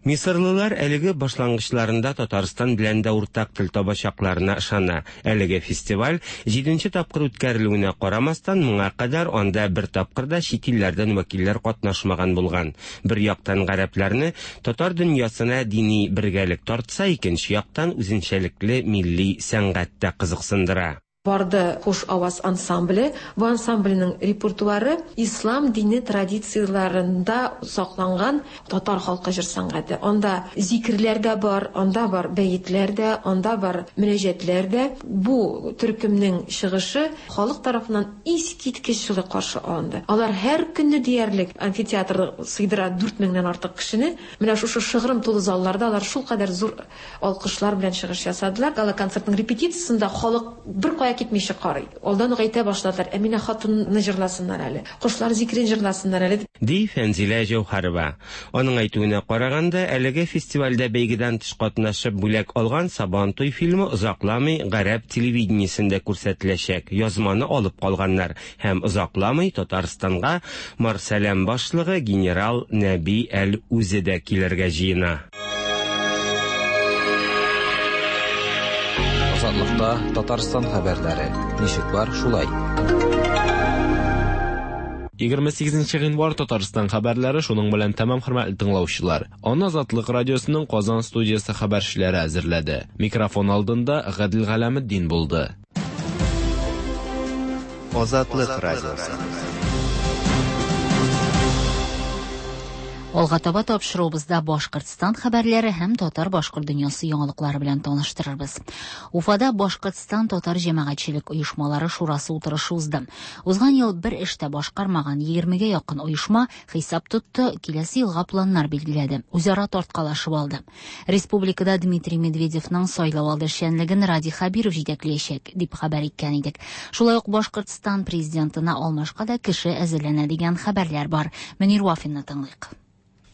Speaker 5: Мисырлылар әлеге башлангычларында Татарстан белән дә уртак тел табачакларына ышана. Әлеге фестиваль җиденче тапкыр үткәрелүенә карамастан, моңа кадәр анда бер тапкыр да чит илләрдән вәкилләр катнашмаган булган. Бер яктан гарәпләрне татар дөньясына дини бергәлек тартса, икенче яктан үзенчәлекле милли сәнгать тә кызыксындыра.
Speaker 23: Барды Хуш аваз ансамбле. Бу ансамбльнең репертуары ислам дине традицияләрендә сакланган татар халкы җыр сәнгате. Анда зикерләр дә бар, анда бар бәетләр дә, анда бар мөнәҗәтләр дә. Бу төркемнең чыгышы халык тарафыннан искиткеч җылы каршы алынды. Алар һәр көнне диярлек амфитеатр сыйдыра 4000 меңнән артык кешене. Менә шушы шыгрым тулы залларда алар шулкадәр зур алкышлар белән чыгыш ясадылар. Гала-концертның репетициясендә халык беркая китмичә карый. Алдан ук әйтә башладылар, Әминә хатынны җырласыннар әле, Кошлар зикерен җырласыннар әле.
Speaker 5: Ди Фәнзилә Җәүһәрова. Аның әйтүенә караганда, әлеге фестивальдә бәйгедән тыш катнашып бүләк алган Сабантуй фильмы озакламый гарәп телевидениесендә күрсәтеләчәк. Язманы алып калганнар һәм озакламый Татарстанга Марсәләм башлыгы генерал Нәби Әл үзе дә килергә җыена.
Speaker 3: Азатлыкта Татарстан хәбәрләре. Ничек бар, шулай.
Speaker 11: 28 гыйнвар Татарстан хәбәрләре шуның белән тәмам, хөрмәтле тыңлаучылар. Аны Азатлык радиосының Казан студиясе хәбәрчеләре әзерләде. Микрофон алдында Гадел Галәметдин булды.
Speaker 4: Азатлык радиосы.
Speaker 2: Алга таба тапшыруыбызда Башкортстан хәбәрләре һәм татар-башкорт дөньясы яңалыклары белән таныштырырбыз. Уфада Башкортстан татар җәмәгатьчелек оешмалары шурасы утырышы узды. Узган ел бер эш тә башкармаган 20гә якын оешма хисап тотты, киләсе елга планнар билгеләде, үзара тарткалашып алды. Республикада Дмитрий Медведевның сайлау алды эшчәнлеген Радий Хәбиров җитәкләячәк, дип хәбәр иткән идек. Шулай ук Башкортстан президентына алмашка да кеше әзерләнә дигән хәбәрләр бар. Мөнир Вафинны тыңлыйк.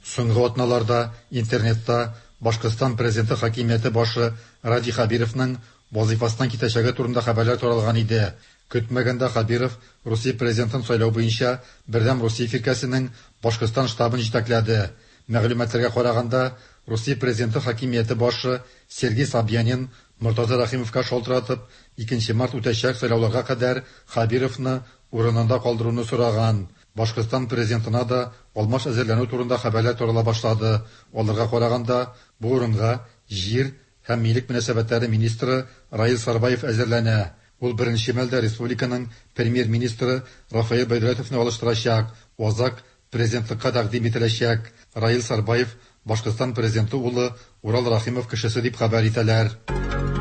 Speaker 6: Соңгы атналарда интернетта Башкортстан президенты хакимияте башы Радий Хәбировның вазыйфасыннан китәчәге турында хәбәрләр таралган иде. Көтмәгәндә Хәбиров Русия президентын сайлау буенча Бердәм Русия фиркәсенең Башкортстан штабын җитәкләде. Мәгълүматларга караганда, Русия президенты хакимияте башы Сергей Собянин Мортаза Рәхимовка шалтыратып, 2 март үтәчәк сайлауларга кадәр Хәбировны урынында калдыруны сораган. Башкортстан президентына да алмаш әзерләнү турында хәбәрләр тарала башлады. Аларга караганда, бу урынга җир һәм милек мөнәсәбәтләре министры Раил Сарбаев әзерләнә. Ул беренче мәлдә республиканың премьер-министры Рафаэль Байдәләтовны алыштырачак. Азак президентлыкка тәкъдим ителәчәк. Раил Сарбаев Башкортстан президенты улы Урал Рахимов кешесе дип хәбәр итәләр.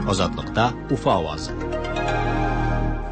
Speaker 1: Азатлыкта Уфа авазы.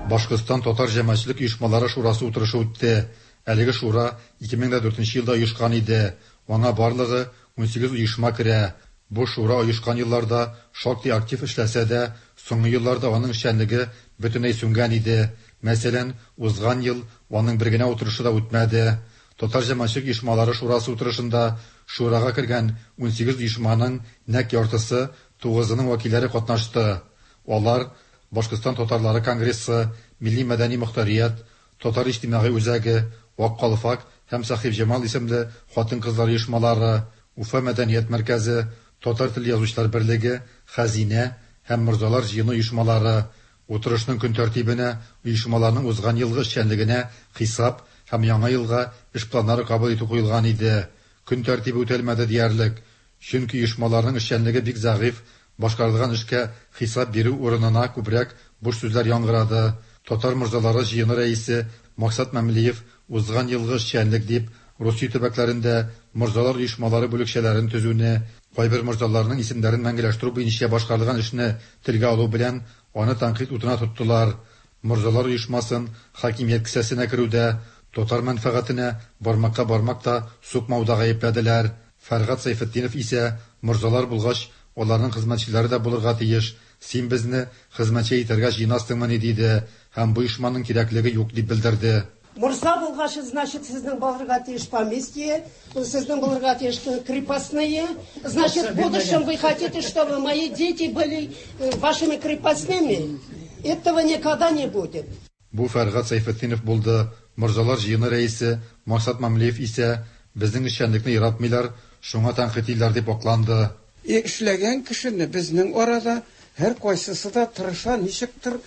Speaker 6: Башкортстан татар җәмәгатьчелек оешмалары шурасы утырышы үтте. Әлеге шура 2004 елда оешкан иде. Аңа барлыгы 18 оешма керә. Бу шура оешкан елларда шактый актив эшләсә дә, соңгы елларда аның эшчәнлеге бөтенләй сүнгән иде. Мәсәлән, узган ел аның бер генә утырышы да үтмәде. Татар җәмәгатьчелек оешмалары шурасы утырышында шурага кергән 18 оешманың нәкъ яртысы, тугызының вәкилләре катнашты. Алар Башкортстан татарлары конгрессы, Милли мәдәни мохтарият, Татар иҗтимагый үзәге, Ак калфак һәм Сәхибҗамал исемле хатын-кызлар оешмалары, Уфа мәдәният мәркәзе, Татар теле язучылар берлеге, Хәзинә һәм Морзалар җыены оешмалары. Утырышның көн тәртибенә оешмаларның узган елгы эшчәнлегенә хисап һәм яңа елга эш планнары кабул итү куелган иде. Көн тәртибе үтәлмәде диярлек. Чөнки оешмаларның эшчәнлеге бик зәгыйфь, башкарылган эшкә хисап бирү урынына күбрәк буш сүзләр яңгырады. Татар морзалары җыены рәисе Максат Мәмлиев узган елгы эшчәнлек дип Русия төбәкләрендә морзалар оешмалары бүлекчәләрен төзүне, кайбер морзаларның исемнәрен мәңгеләштерү буенча башкарылган эшне телгә алу белән аны тәнкыйть утына тоттылар. Морзалар оешмасын хакимият кесәсенә керүдә, татар мәнфәгатенә бармакка бармак та сукмауда гаепләделәр. Фәргать Сәйфетдинов исә, морзалар булгач, аларның хезмәтчеләре дә булырга тиеш, син безне хезмәтче итәргә җыенасыңмыни, диде һәм бу оешманың кирәклеге юк дип белдерде.
Speaker 7: Морза булгач, значит, сезнең булырга тиеш поместье, сезнең булырга тиеш крепостные. Значит, в будущем вы хотите, чтобы мои дети были вашими крепостными? Этого никогда не будет.
Speaker 6: Бу Фәргать Сәйфетдинов булды. Морзалар җыены рәисе Максат Мамлеев исә безнең эшчәнлекне яратмыйлар, шуңа тәнкыйтьлиләр дип акланды.
Speaker 9: Эшләгән кешене безнең арада һәр кайсысы да тырыша ничектер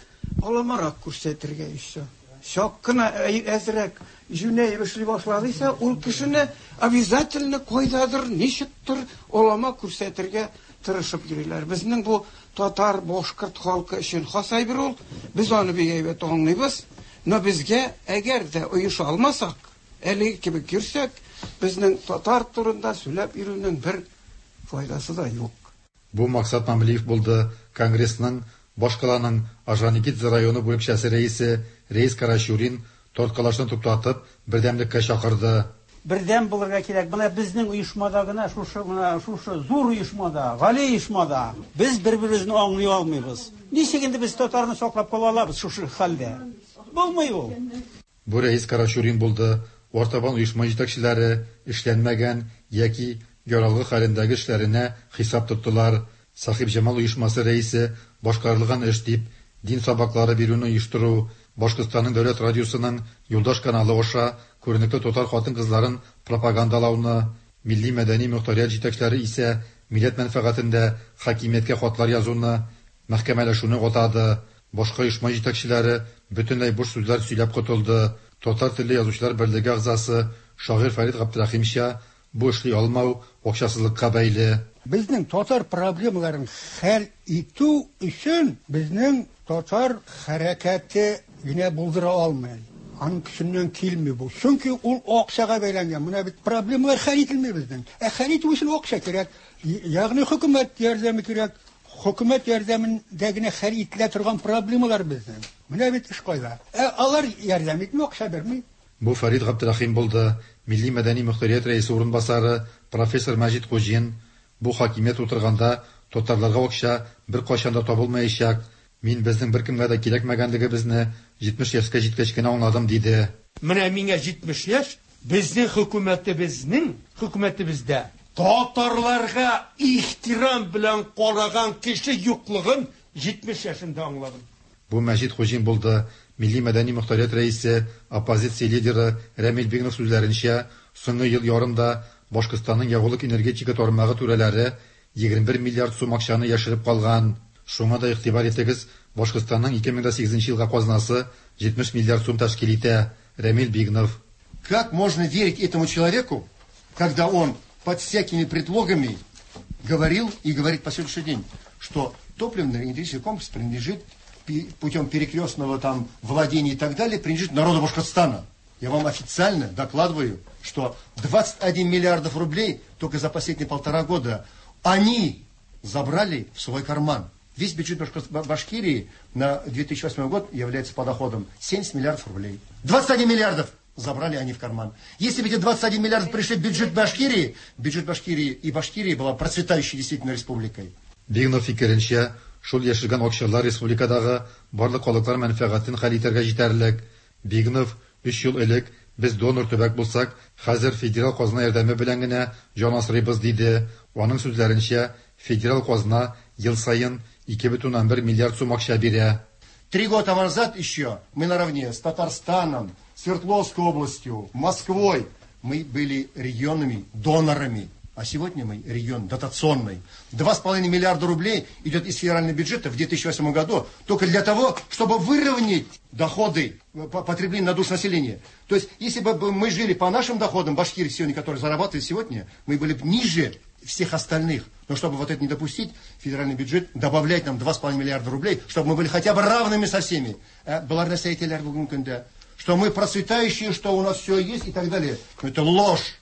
Speaker 9: аламарак күрсәтергә еще. Чак кына әзрәк җүнәеп эшли башлады исә, ул кешене обязательно кайдадыр, ничектер алама күрсәтергә тырышып йөриләр. Безнең бу татар, башкорт халкы өчен хас әйбер ул. Без аны бик әйбәт аңлыйбыз. Но безгә әгәр дә оеша алмасак, әлеге кебек йөрсәк, безнең татар турында сөйләп йөрүнең бер файдасы да юк.
Speaker 6: Бу Максат Мамлиев булды. Конгрессның башкаланың Орджоникидзе районы бүлекчәсе рәисе Рәис Карачурин тарткалашны туктатып, бердәмлеккә чакырды.
Speaker 24: Бердәм булырга кирәк. Менә безнең оешмада гына шушы менә шушы зур оешмада, гали оешмада без бер-беребезне аңлый алмыйбыз. Ничек инде без татарны саклап кала алабыз шушы хәлдә? Булмый ул.
Speaker 6: Бу Рәис Карачурин булды. Артабан оешма җитәкчеләре эшләнмәгән яки яралгы хәлендәге эшләренә хисап тоттылар. Сәхибҗамал оешмасы рәисе башкарылган эш дип дин сабаклары бирүне оештыру, Башкортстанның дәүләт радиосының Юлдаш каналы аша күренекле татар хатын-кызларын пропагандалауны, милли мәдәни мохтарият җитәкчеләре исә милләт мәнфәгатендә хакимияткә хатлар язуны, мәхкәмәләшүне атады. Башка оешма җитәкчеләре бөтенләй буш сүзләр сөйләп котылды. Татар телле язучылар берлеге әгъзасы шагыйрь Фәрит Габдрәхимча бу эшли алмау акчасызлыкка бәйле.
Speaker 25: Безнең татар проблемаларын хәл итү өчен безнең татар хәрәкәте генә булдыра алмый. Аның көченнән килми бу. Чөнки ул акчага бәйләнгән. Менә бит проблемалар хәл ителми безнең. Ә хәл итү өчен акча кирәк. Ягъни хөкүмәт ярдәме кирәк. Хөкүмәт ярдәмендә генә хәл ителә торган проблемалар безнең. Менә бит эш кайда. Ә алар ярдәм итми, акча бирми.
Speaker 6: Бу Фәрит Габдрәхим булды, Милли-мәдәни мөхтәрият рәисе урынбасары, профессор Мәҗит Хуҗин, Бу хакимият утырганда татарларга акча беркайчан да табылмаячак, мин безнең беркемгә дә кирәкмәгәнлегебезне 70 яшькә җиткәч кенә аңладым, диде.
Speaker 8: Менә миңа 70 яшь, безнең хөкүмәтебезнең, хөкүмәтебездә татарларга ихтирам белән караган кеше юклыгын 70 яшемдә аңладым.
Speaker 6: Бу Мәҗит Хуҗин булды, Милли-мәдәни мохтарият рәисе, оппозиция лидеры Рәмил Бигнов сүзләренчә, соңгы ел ярымда Башкортстанның ягулык-энергетика тармагы түрәләре 21 миллиард сум акчаны яшереп калган. Шуңа да игътибар итегез, Башкортстанның 2008 елга казнасы 70 миллиард сум тәшкил итә. Рәмил Бигнов.
Speaker 10: Как можно верить этому человеку, когда он под всякими предлогами говорил и говорит по сегодняшний день, что топливно-энергетический комплекс принадлежит путем перекрестного там владения и так далее, принадлежит народу Башкортостана. Я вам официально докладываю, что 21 миллиардов рублей только за последние полтора года они забрали в свой карман. Весь бюджет Башкирии на 2008 год является подоходом 70 миллиардов рублей. 21 миллиардов забрали они в карман. Если бы эти 21 миллиардов пришли в бюджет Башкирии, бюджет Башкирии и Башкирии была процветающей действительно республикой.
Speaker 6: Бигнов фикеренчә, шул яшергән акчалар республикадагы барлык халыклар мәнфәгатен хәл итәргә җитәрлек. Бигнов, өч ел элек без донор төбәк булсак, хәзер федераль казна ярдәме белән генә җан асрыйбыз, диде. Аның сүзләренчә, федераль казна ел саен 2,1 миллиард сум акча бирә.
Speaker 10: 3 года назад еще мы наравне с Татарстаном, Свердловской областью, Москвой, мы были регионами донорами. А сегодня мы регион дотационный. 2,5 миллиарда рублей идет из федерального бюджета в 2008 году только для того, чтобы выровнять доходы потребления на душу населения. То есть, если бы мы жили по нашим доходам, Башкирии сегодня, которые зарабатывают сегодня, мы были бы ниже всех остальных. Но чтобы вот это не допустить, федеральный бюджет добавляет нам 2,5 миллиарда рублей, чтобы мы были хотя бы равными со всеми. Что мы процветающие, что у нас все есть и так далее. Но это ложь.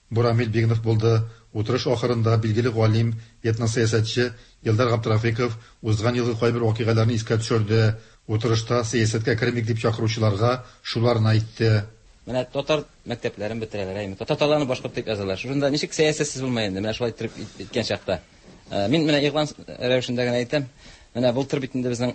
Speaker 6: Бу Рамил Бигнов булды. Утырыш ахырында билгеле галим, этносәясәтче Илдар Габдрафиков узган елгы кайбер вакыйгаларны искә төшерде. Утырышта сәясәткә кермик дип чакыручыларга шуларны әйтте.
Speaker 12: Менә татар мәктәпләрен бетерәләр, әйме. Татарларны башкорт дип язалар. Шушында ничек сәясәтсез булмай инде, менә шулай иттереп иткән чакта. Мин менә игълан рәвешендә генә әйтәм. Менә былтыр бит инде безнең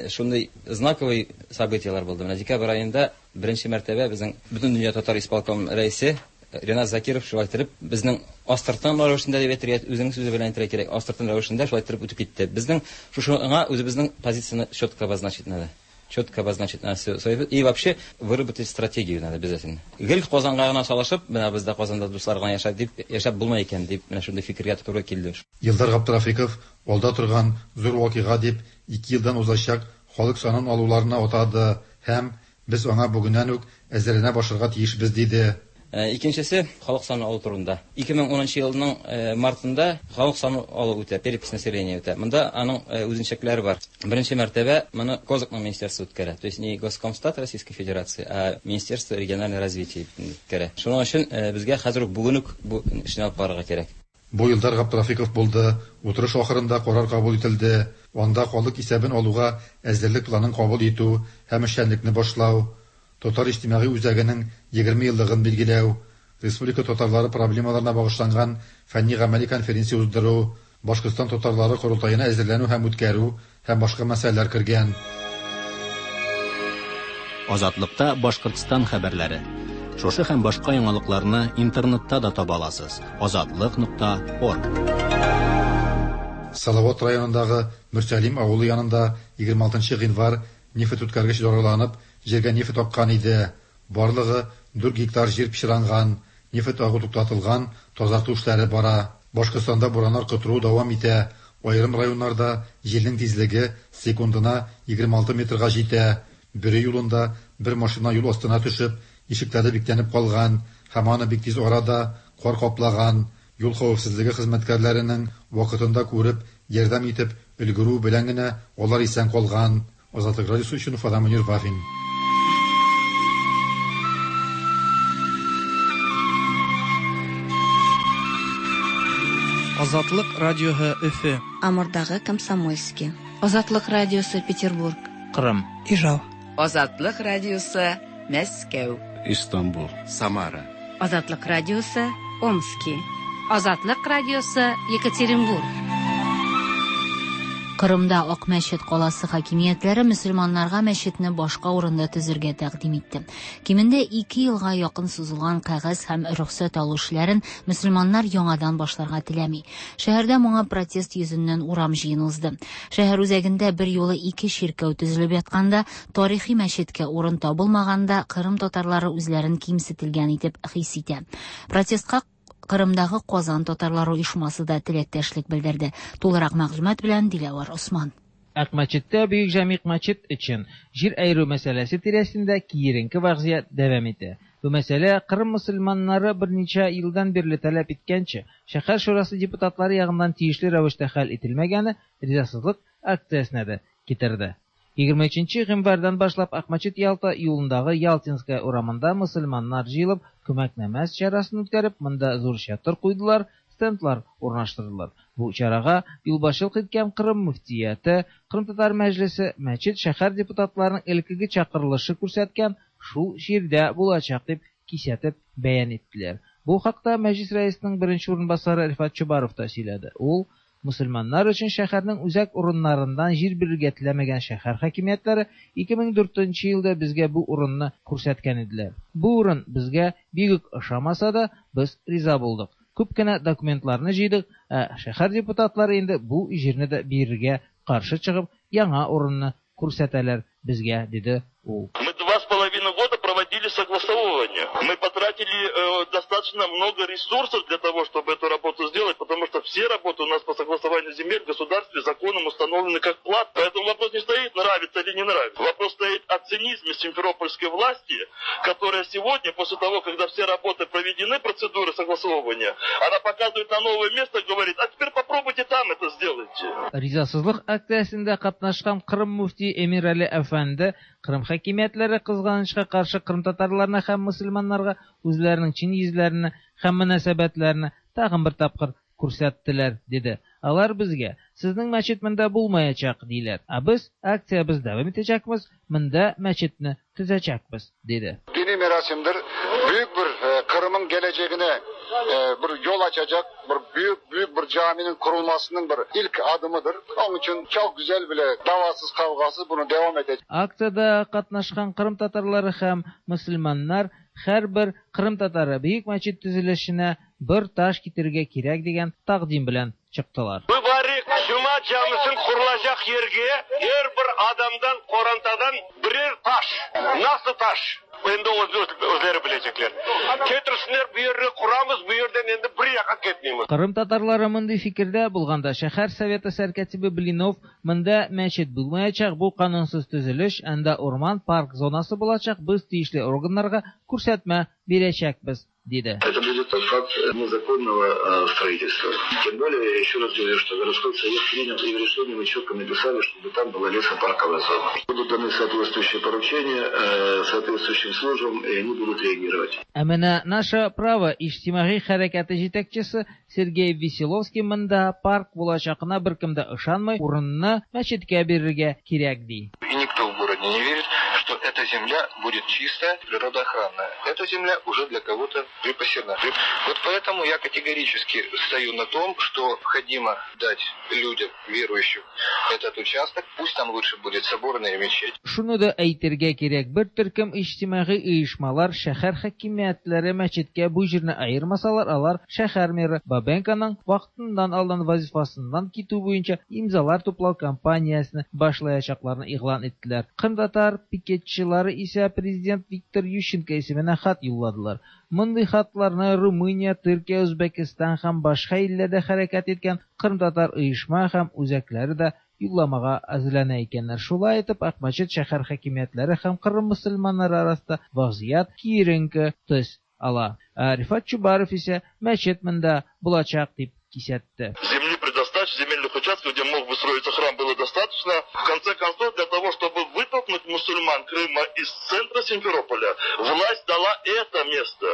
Speaker 12: шундый знаковый событиелар булды. Менә декабрь аенда беренче мәртәбә безнең Бөтендөнья татар исполком рәисе Ренат Закиров шулай иттереп безнең астыртын рәвешендә дип әйтергә, үзенең сүзе белән әйтергә кирәк, астыртын рәвешендә шулай иттереп үтеп китте. Безнең шушыңа үзебезнең позицияне четко обозначить надо. Четко обозначить надо свою и вообще выработать стратегию надо обязательно. Гел Казанга гына салышып, менә бездә Казанда дуслар гына яшәп дип, яшәп булмай икән дип, менә шундый фикергә туры килде.
Speaker 6: Илдар Габдрафиков алда торган зур вакыйга дип 2 елдан узачак халык санын алуларына атады һәм без аңа бүгеннән үк әзерләнә башларга тиешбез диде.
Speaker 12: Икенчесе халык саны алу турында. 2010 елның мартында халык саны алу үтә, перепись населения үтә. Монда аның үзенчәлекләре бар. Беренче мәртәбә моны Козакның министерствосы үткәрә. То есть не Госкомстат Российской Федерации, а Министерство регионального развития үткәрә. Шуның өчен безгә хәзер үк бүген үк бу эшне алып барырга кирәк.
Speaker 6: Бу Илдар Габдрафиков булды. Утырыш ахырында карар кабул ителде. Анда халык исәбен алуга әзерлек планын кабул итү һәм эшчәнлекне башлау, Татар иҗтимагый үзәгенең 20 еллыгын билгеләү, республика татарлары проблемаларына багышланган фәнни-гамәли конференция уздыру, Башкортстан татарлары корылтаена әзерләнү һәм үткәрү һәм башка мәсьәләләр кергән.
Speaker 1: Азатлыкта Башкортстан хәбәрләре. Шушы һәм башка яңалыкларны интернетта да таба аласыз. Азатлык.орг.
Speaker 6: Салават районындагы Мөрсәлим авылы янында 26 гыйнвар нефть үткәргеч зарарланып, җиргә нефть аккан иде. Барлыгы 4 гектар җир пычранган, нефть агу туктатылган, тазарту эшләре бара. Башкортстанда бураннар котыру дәвам итә. Аерым районнарда җилнең тизлеге секундына 26 метрга җитә. Бөре юлында бер машина юл астына төшеп, ишекләре бикләнеп калган һәм аны бик тиз арада кар каплаган. Юл хәвефсезлеге хезмәткәрләренең вакытында күреп, ярдәм итеп өлгерү белән генә алар исән калган. Азатлык радиосы өчен Уфадан Мөнир Вафин.
Speaker 13: Азатлык радиоһы Өфе.
Speaker 14: Амурдагы Комсомольский.
Speaker 15: Азатлык радиосы Петербург.
Speaker 13: Кырым.
Speaker 14: Ижау.
Speaker 15: Азатлык радиосы Мәскәү.
Speaker 16: Истанбул. Самара.
Speaker 17: Азатлык радиосы Омски. Азатлык радиосы Екатеринбург.
Speaker 2: Кырымда Ак мәчет каласы хакимиятләре мөселманнарга мәчетне башка урында төзергә тәкъдим итте. Кимендә 2 елга якын сузылган кәгазь һәм рөхсәт алу эшләрен мөселманнар яңадан башларга теләми. Шәһәрдә моңа протест йөзеннән урам җыены узды. Шәһәр үзәгендә бер юлы ике чиркәү төзелеп ятканда, тарихи мәчеткә урын табылмаганда, Кырым татарлары үзләрен кимсетелгән итеп хис итә. Протестка Кырымдагы Казан татарлары оешмасы да теләктәшлек белдерде. Тулырак мәгълүмат белән Диләвәр Осман.
Speaker 26: Акмәчеттә Бөек Җәмигъ мәчет өчен җир аеру мәсьәләсе тирәсендә киеренке вәзгыять дәвам итә. Бу мәсьәлә Кырым мөселманнары берничә елдан бирле таләп иткәнчә, шәһәр шурасы депутатлары ягыннан тиешле рәвештә хәл ителмәгәне ризасызлык акциясенә дә китерде. 23 гыйнвардан башлап Акмәчет Ялта юлындагы Ялтинская урамында мөселманнар җыелып, күмәк намаз чарасын үткәреп, монда зур чатыр куйдылар, стендлар урнаштырдылар. Бу чарага юлбашчылык иткән Кырым мөфтияте, Кырым татар мәҗлесе, мәчет шәһәр депутатларының элеккеге чакырылышы күрсәткән шул җирдә булачак дип кисәтеп бәян иттеләр. Бу хакта мәҗлис рәисенең беренче урынбасары Рифат Чубаров та сөйләде. Ул мөселманнар өчен шәһәрнең үзәк урыннарыннан җир бирергә теләмәгән шәһәр хакимиятләре 2004 елда безгә бу урынны күрсәткән иделәр. Бу урын безгә бик үк ошамаса да, без риза булдык. Күп кенә документларны җыйдык, ә шәһәр депутатлары инде бу җирне дә бирергә каршы чыгып, яңа урынны күрсәтәләр безгә, диде ул.
Speaker 27: Мы 2,5 года проводили согласовывание. Мы потратили достаточно много ресурсов для того, чтобы эту работу сделать, потому что все работы у нас по согласованию земель в государстве законом установлены как плат. Поэтому вопрос не стоит, нравится или не нравится. Вопрос стоит о цинизме симферопольской власти, которая сегодня, после того, когда все работы проведены, процедуры согласовывания, она показывает на новое место и говорит, а теперь попробуйте там это сделайте.
Speaker 26: Ризасызлык акциясендә катнашкан Кырым мөфти Эмир Али әфәнде Кырым хакимиятләре кызганычка каршы кырым татарларына һәм мөселманнарга үзләренең чин йөзләрен һәм мөнәсәбәтләрен тагын бер тапкыр күрсәттеләр, диде. Алар безгә, сезнең мәчет монда булмаячак, диләр. Ә без акциябез дәвам итәчәкбез, монда мәчетне төзәчәкбез, диде.
Speaker 28: Dini merasimdir. Büyük bir Kırım'ın geleceğine bir yol açacak bir büyük büyük bir caminin kurulmasının bir ilk adımıdır. Onun için çok güzel bile davasız kavgasız bunu devam edecek.
Speaker 26: Акциядә катнашкан Кырым татарлары һәм мөселманнар һәрбер Кырым татары бөек мәчет төзелешенә бер таш китерергә кирәк дигән тәкъдим белән чыктылар.
Speaker 27: Mübarek Cuma camisinin kurulacak yerge her bir adamdan, korantadan birer taş. Nasıl taş? Endi özleri bilecekler. Getirsinler bu yerine kuramız, bu yerden endi bir yaka ketmeymiz.
Speaker 26: Кырым татарлары мондый фикердә булганда шәһәр советы сәркатибе Блинов монда мәчет булмаячак, бу канунсыз төзелеш, анда урман парк зонасы булачак, без тиешле органнарга күрсәтмә бирәчәкбез, диде.
Speaker 29: Это будет факт незаконного строительства. Тем более, я еще раз говорю, что городской совет принял и в решении мы четко написали, чтобы там была лесопарковая зона. Будут даны соответствующие поручения соответствующим службам, и они будут реагировать.
Speaker 26: Ә менә «Наше право» иҗтимагый хәрәкәте җитәкчесе Сергей Веселовский монда парк булачагына беркем дә ышанмый, урынны мәчеткә бирергә кирәк, ди.
Speaker 29: И никто в городе не верит, что эта земля будет чистая, природоохранная. Эта земля уже для кого-то припасена. Вот поэтому я категорически стою на том, что необходимо дать людям, верующим, этот участок. Пусть там лучше будет соборная мечеть.
Speaker 26: Шуны да әйтергә кирәк, бер төркем иҗтимагый оешмалар шәһәр хакимиятләре мәчеткә бу җирне аермасалар, алар шәһәр мэры Бабенконың вакытыннан алдан вазифасыннан китү буенча имзалар туплау кампаниясен башлаячакларын игълан иттеләр. Кырым татар пикетчылары исә президент Виктор Ющенко исеменә хат юлладылар. Мондый хатларны Румыния, Төркия, Үзбәкстан һәм башка илләрдә хәрәкәт иткән Кырым татар оешма һәм үзәкләре дә юлламага әзерләнә икәннәр. Шулай итеп, Акмәчет шәһәр хакимиятләре һәм Кырым мөселманнары арасында вазгыять киеренке төс ала. Рифат Чубаров исә мәчет монда булачак дип кисәтте.
Speaker 27: Земли предостаточно, земельных участков, где мог бы строиться храм, было достаточно. В конце концов, для того, чтобы вытолкнуть вытолкнуть мусульман Крыма из центра Симферополя, власть дала это место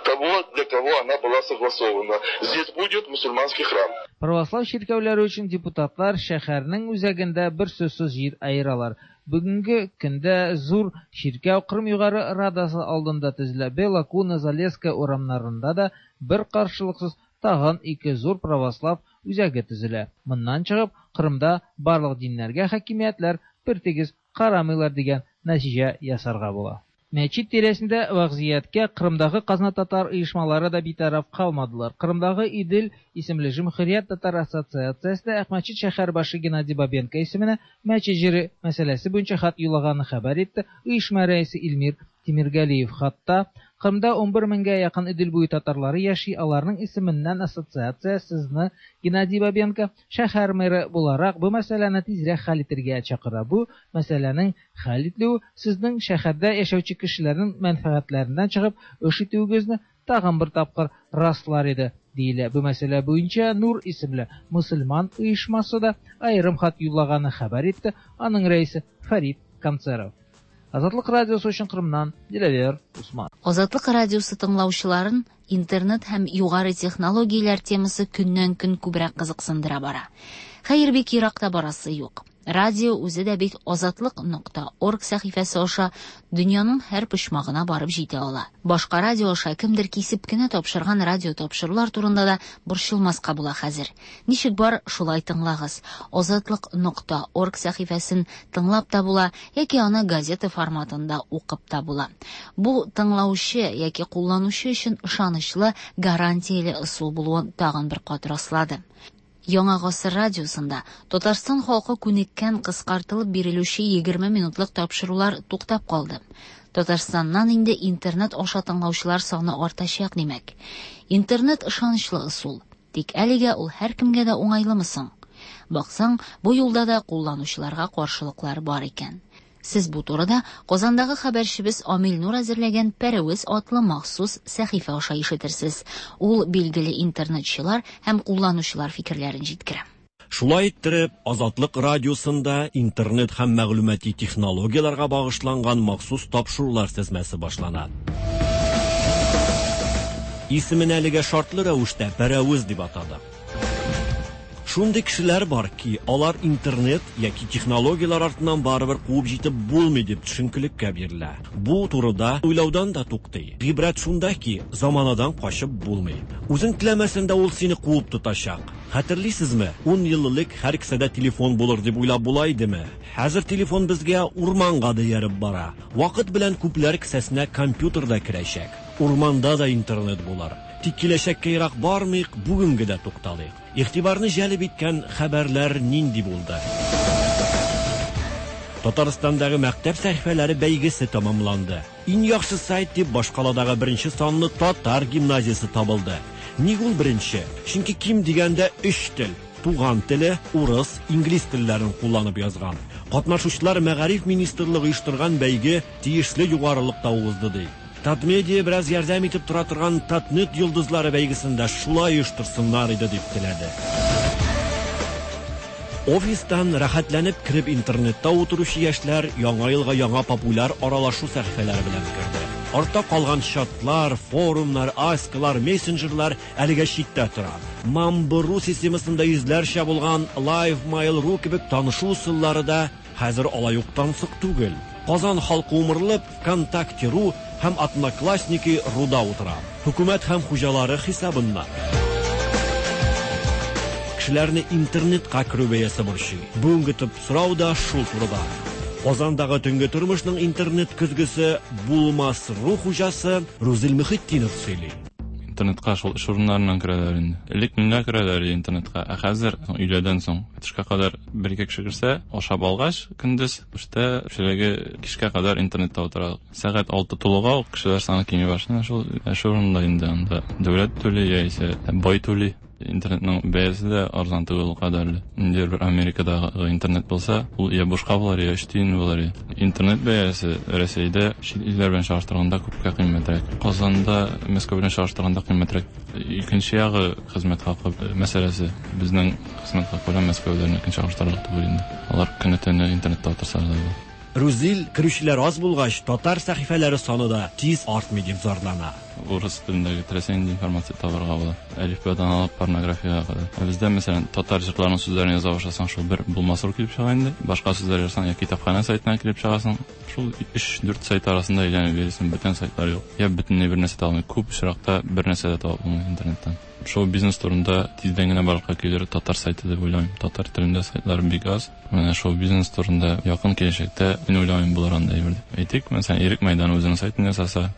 Speaker 27: того, для кого она была согласована. Здесь будет мусульманский храм.
Speaker 26: Православ чиркәүләре өчен депутатлар шәһәрнең үзәгендә берсүзсез җир аералар. Бүгенге көндә зур чиркәү Кырым Югары Радасы алдында төзелә. Белла Куна, Залесская урамнарында да бер каршылыксыз тагын ике зур православ үзәге төзелә. Моннан чыгып, Кырымда барлык диннәргә хакимиятләр бертигез карамыйлар дигән нәтиҗә ясарга була. Мәчет тирәсендә вәзгыятькә Кырымдагы казна татар оешмалары да битараф калмадылар. Кырымдагы Идел исемле Җөмһүрият татар ассоциациясе дә Акмәчет шәһәр башы Геннадий Бабенко исеменә мәчет җире мәсьәләсе буенча хат юллаганын хәбәр итте оешма рәисе Илмир Тимиргалиев. Хатта Кырымда 11 меңгә якын Идел буе татарлары яши, аларның исеменнән ассоциация сезне Геннадий Бабенко шәһәр мэры буларак бу мәсьәләне тизрәк хәл итәргә чакыра. Бу мәсьәләнең хәл ителүе сезнең шәһәрдә яшәүче кешеләрнең мәнфәгатьләреннән чыгып эш итүегезне тагын бер тапкыр раслар иде, диелә. Бу мәсьәлә буенча Нур исемле мөселман оешмасы да аерым хат юллаганы хәбәр итте аның рәисе Фәрит Канцеров. Азатлык радиосы өчен Кырымнан Диләвер Усман.
Speaker 2: Азатлык радиосы тыңлаучыларын интернет һәм югары технологияләр темасы көннән-көн күбрәк кызыксындыра бара. Хәер, бик ерак та барасы юк. Радио үзе дә бит азатлык.орг сәхифәсе аша дөньяның һәр почмагына барып җитә ала. Башка радио аша кемдер кисеп кенә тапшырган радио тапшырулар турында да борчылмаска була хәзер. Ничек бар, шулай тыңлагыз. Азатлык.орг сәхифәсен тыңлап та була, яки аны газета форматында укып та була. Бу тыңлаучы яки кулланучы өчен ышанычлы, гарантияле ысул булуын тагын бер кат раслады. Яңа гасыр радиосында Татарстан халкы күнеккән кыскартылып бирелүче 20 минутлык тапшырулар туктап калды. Татарстаннан инде интернет аша тыңлаучылар саны артачак, димәк. Интернет ышанычлы ысул. Тик әлегә ул һәркемгә дә уңайлымы соң? Баксаң, бу юлда да кулланучыларга каршылыклар бар икән. Сез бу турыда Казандагы хәбәрчебез Амил Нур әзерләгән Пәрәвез атлы махсус сәхифә аша ишетерсез. Ул билгеле интернетчылар һәм кулланучылар фикерләрен җиткерә.
Speaker 3: Шулай иттереп, Азатлык радиосында интернет һәм мәгълүмати технологияләргә багышланган махсус тапшырулар тезмәсе башлана. Исемен әлегә шартлы рәвештә Пәрәвез дип атадык. Шундый кешеләр бар ки, алар интернет яки технологияләр артыннан барыбер куып җитеп булмый дип төшенкелеккә бирелә. Бу турыда уйлаудан да туктый. Гыйбрәт шунда ки, заманадан качып булмый. Үзең теләмәсәң дә ул сине куып тотачак. Хәтерлисезме? 10 ел элек һәр кесәдә телефон булыр дип уйлап була идеме? Хәзер телефон безгә урманга да ияреп бара. Вакыт белән күпләр кесәсенә компьютер да керәчәк. Урманда да интернет булыр. Тик киләчәккә ерак бармыйк, бүгенгә дә тукталыйк. Игътибарны җәлеп иткән хәбәрләр нинди булды? Татарстандагы мәктәп сәхифәләре бәйгесе тәмамланды. Иң яхшы сайт дип башкаладагы беренче санлы татар гимназиясе табылды. Ник ул беренче? Чөнки ким дигәндә 3 тел: туган теле, урыс, инглиз телләрен кулланып язган. Катнашучылар Мәгариф министрлыгы оештырган бәйге тиешле югарылыкта узды ди. Татмедиа бераз ярдәм итеп тора торган Татнет йолдызлары бәйгесендә шулай оештырсыннар иде дип теләде. Офистан рәхәтләнеп кереп интернетта утыручы яшьләр яңа елга яңа популяр аралашу сәхифәләре белән керде. Артта калган чатлар, форумнар, аскалар, мессенджерлар әлегә читтә тора. Мамбру системасында йөзләрчә булган Live.mail.ru кебек танышу ысуллары да хәзер алай ук тансык түгел. Казан халкы умырлып ВКонтакте.ру һәм Одноклассники.руда утыра. Хөкүмәт һәм хуҗалары хисабыннан. Кешеләрне интернетка керү бәясе борчый. Бүгенге төп сорау да шул турыда. Казандагы төнге тормышның интернет көзгесе Булмас.ру хуҗасы Рузил Мөхетдинов сөйли.
Speaker 5: Интернетка шул эш урыннарыннан керәләр инде. Элек меңгә керәләр иде интернетка, ә хәзер өйләдән соң төшкә кадәр бер-ике кеше керсә, ашап алгач, көндез эштә кешеләге кичкә кадәр интернетта утыра. Сәгать 6 тулуга ук кешеләр саны кими башлый. Шул эш урынында инде анда дәүләт түли яисә бай түли. Интернетның бәясе дә арзан түгел ул кадәрле. Ниндидер бер Америкадагы интернет булса, ул я бушка булыр, я 3 тиен булыр. Интернет бәясе Рәсәйдә чит илләр белән чагыштырганда күпкә кыйммәтрәк. Казанда Мәскәү белән чагыштырганда кыйммәтрәк. Икенче ягы хезмәт хакы мәсьәләсе. Безнең хезмәт хакы белән Мәскәүдәнекен чагыштырырлык түгел инде. Алар көне-төне интернетта утырсалар да була.
Speaker 3: Рузил, керүчеләр аз булгач, татар сәхифәләре саны да тиз артмый дип зарлана.
Speaker 5: Урыс телендәге теләсә нинди информация табарга була. Әлифбадан алып порнографиягә кадәр. Ә бездә, мәсәлән, татар җырларының сүзләрен яза башласаң, шул бер булмас килеп чыга инде. Башка сүзләр язсаң, я китапханә сайтына килеп чыгасың. Шул 3-4 сайт арасында әйләнеп йөрисең, бүтән сайтлар юк. Я бөтенләй бер нәрсә таба алмый. Күп очракта бер нәрсә дә таба булмый интернеттан. Шоу-бизнес турында тиздән генә барлыкка килер татар сайты дип уйлыйм. Татар телендә сайтлар бик аз. Менә шоу-бизнес турында якын киләчәктә мин уйламыйм булыр андай әйбер дип. Әйтик, мәсәлән, Ирек Мәйданы үзенең сайтын ясаса,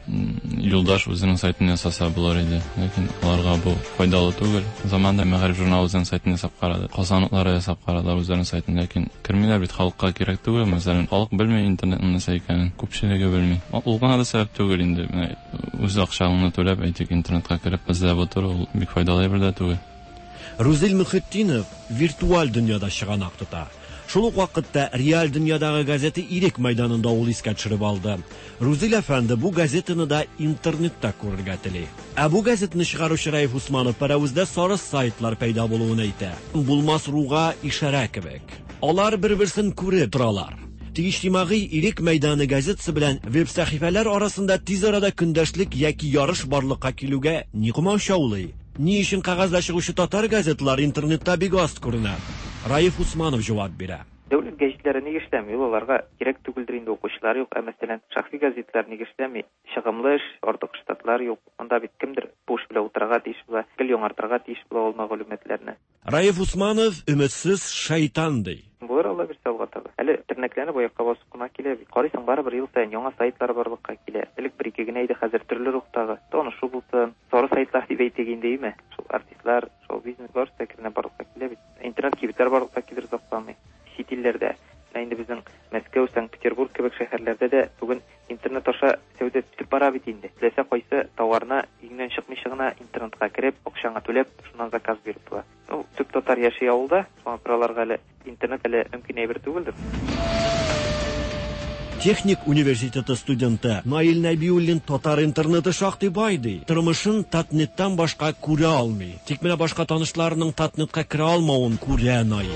Speaker 5: Юлдаш үзенең сайтын ясаса булыр иде. Ләкин аларга бу файдалы түгел. Заманында Мәгариф журналы үзенең сайтын ясап карады. Казан утлары ясап карадылар үзләренең сайтын, ләкин кермиләр бит, халыкка кирәк түгел. Мәсәлән, халык белми интернетның нәрсә икәнен, күпчелеге белми. Ул гына да сәбәп түгел инде. Менә үз акчаңны түләп, әйтик, интернетка кереп эзләп утыру ул бик файдалы әйбер дә түгел.
Speaker 3: Рузил Мөхетдинов виртуаль дөньяда чыганак тота. Шул ук вакытта реаль дөньядагы газета Ирек мәйданында ул искә төшереп алды. Рузил әфәнде бу газетаны да интернетта күрергә тели. Ә бу газетаны чыгаручы Раиф Усманов Пәрәвездә сары сайтлар пәйда булуын әйтә. Булмас руга ишарә кебек. Алар бер-берсен күреп торалар. Тик иҗтимагый Ирек мәйданы газетасы белән веб-сәхифәләр арасында тиз арада көндәшлек яки ярыш барлыкка килүгә ни комачаулый? Ни өчен кәгазьдә чыгучы татар газеталары интернетта бик аз күренә? Раиф Усманов җавап бирә.
Speaker 4: Дәүләт гәҗитләре ник эшләми? Ул аларга кирәк түгелдер инде, укучылар юк. Ә мәсәлән, шәхси газетлар ник эшләми? Чыгымлы эш, артык штатлар юк. Монда бит кемдер бу эш белән утырырга тиеш була, гел яңартырга тиеш була ул мәгълүматларны.
Speaker 3: Раиф Усманов өметсез шайтан ди.
Speaker 4: Булыр, Алла бирсә, алга таба. Әле тернәкләнеп аякка басып кына килә бит. Карыйсың, барыбер ел саен яңа сайтлар барлыкка килә. Элек бер-ике генә иде, хәзер төрле рухтагы. Танышу булсын, сары сайтлар дип әйтик инде, име? Шул артистлар, шоу-бизнес барысы да әкренләп барлыкка килә бит. Интернет кибетләр барлыкка килер озакламый. Чит илләрдә, менә инде безнең Мәскәү, Санкт-Петербург кебек шәһәрләрдә дә бүген интернет аша сәүдә үтеп бара бит инде. Теләсә кайсы товарны өеңнән чыкмыйча гына интернетка кереп, акчаңа түләп, шуннан заказ биреп була. Ну, төп татар яши авылда, шуңа күрә аларга әле интернет әле мөмкин әйбер түгелдер.
Speaker 3: Техник университеты студенты Наил Нәбиуллин татар интернеты шактый бай ди. Тормышын Татнеттан башка күрә алмый. Тик менә башка танышларының Татнетка керә алмавын күрә Наил.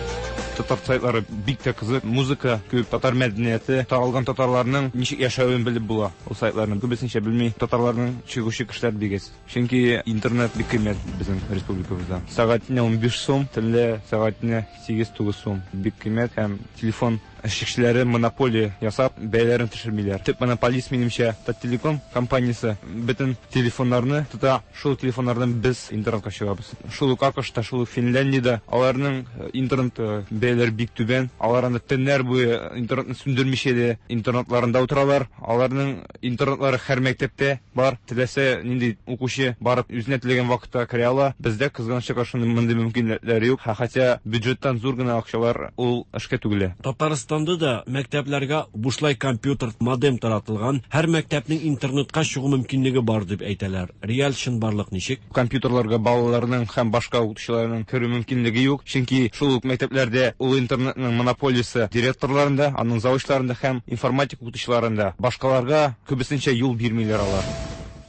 Speaker 7: Татар сайтлары бик тә кызык. Музыка күп, татар мәдәнияте, таралган татарларның ничек яшәвен белеп була. Ул сайтларны күбесенчә белми татарларның чыгучы кешеләр бик әз. Чөнки интернет бик кыйммәт безнең республикабызда. Сәгатенә 15 сум, төнлә сәгатенә 8-9 сум. Бик кыйммәт һәм телефон эшчеләре монополия ясап, бәяләрен төшермиләр. Төп монополист, минемчә, Таттелеком компаниясе бөтен телефоннарны тота. Шул телефоннардан без интернетка чыгабыз. Шул ук АКШта, шул ук Финляндиядә аларның интернет бәяләре бик түбән. Алар анда төннәр буе интернетны сүндермичә дә интернетларында утыралар. Аларның интернетлары һәр мәктәптә бар. Теләсә нинди укучы барып үзенә теләгән вакытта керә ала. Бездә, кызганычка каршы, мондый мөмкинлекләр юк. Хотя бюджеттан зур гына акчалар ул эшкә түгелә.
Speaker 3: Татарстанда да мәктәпләргә бушлай компьютер, модем таратылган. Һәр мәктәпнең интернетка чыгу мөмкинлеге бар дип әйтәләр. Реаль чынбарлык ничек?
Speaker 7: Компьютерларга балаларның һәм башка укытучыларның керү мөмкинлеге юк. Чөнки шул ук мәктәпләрдә ул интернетның монополиясе директорларында, аның завучларында һәм информатика укытучыларында. Башкаларга күбесенчә юл бирмиләр алар.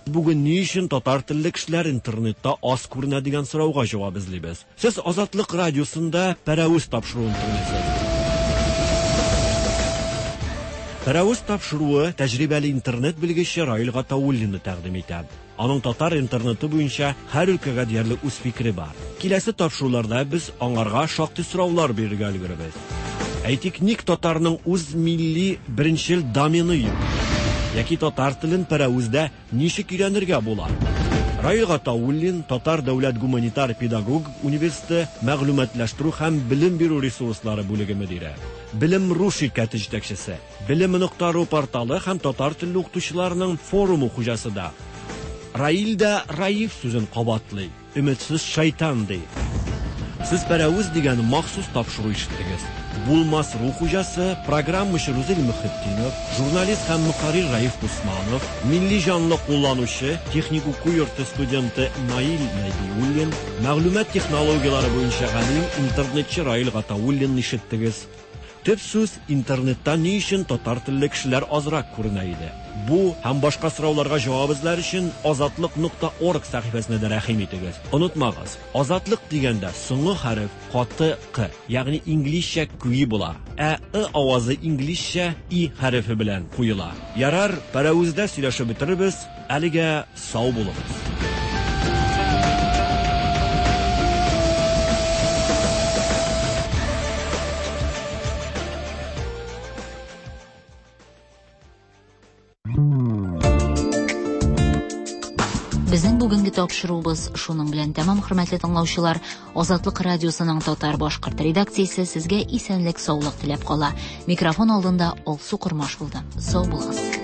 Speaker 3: Бүген ни өчен татар телле кешеләр интернетта аз күренә дигән сорауга җавап эзлибез. Сез Азатлык радиосында Пәрәвез тапшыруын тыңлыйсыз. Пәрәвез тапшыруы тәҗрибәле интернет белгече Раил Гатауллинны тәкъдим итә. Аның татар интернеты буенча һәр өлкәгә диярлек үз фикере бар. Киләсе тапшыруларда без аңарга шактый сораулар бирергә өлгерербез. Әйтик, ник татарның үз милли беренчел домены юк? Яки татар телен Пәрәвездә ничек өйрәнергә була? Раил Гатауллин, Татар дәүләт гуманитар педагогик университеты мәгълүматлаштыру һәм белем бирү ресурслары бүлеге мөдире. Белем.ру ширкәте җитәкчесе, Белем.ру порталы һәм татар телле укытучыларның форумы хуҗасы да. Раил дә Раиф сүзен кабатлый, өметсез шайтан ди. Сез Пәрәвез дигән махсус тапшыру ишеттегез. Булмас ру хуҗасы, программачы Рузил Мөхетдинов, журналист һәм мөхәррир Раиф Усманов, милли җанлы кулланучы, техник уку йорты студенты Наил Нәбиуллин, мәгълүмат технологияләре буенча галим, интернетчы Раил Гатауллинны ишеттегез. Төп сүз интернетта ни өчен татар телле кешеләр азрак күренә иде. Бу һәм башка сорауларга җавап эзләр өчен азатлык.орг сәхифәсенә дә рәхим итегез. Онытмагыз, азатлык дигәндә соңгы хәреф каты к, ягъни инглизчә кюи була, ә ы авазы инглизчә и хәрефе белән куела. Ярар, пәрәвездә сөйләшеп бетерербез, әлегә сау булыгыз.
Speaker 2: Безнең бүгенге тапшыруыбыз шуның белән тәмам, хөрмәтле тыңлаучылар. Азатлык радиосының татар башкорт редакциясе сезгә исәнлек, саулык теләп кала. Микрофон алдында Алсу Кормаш булды. Сау булыгыз.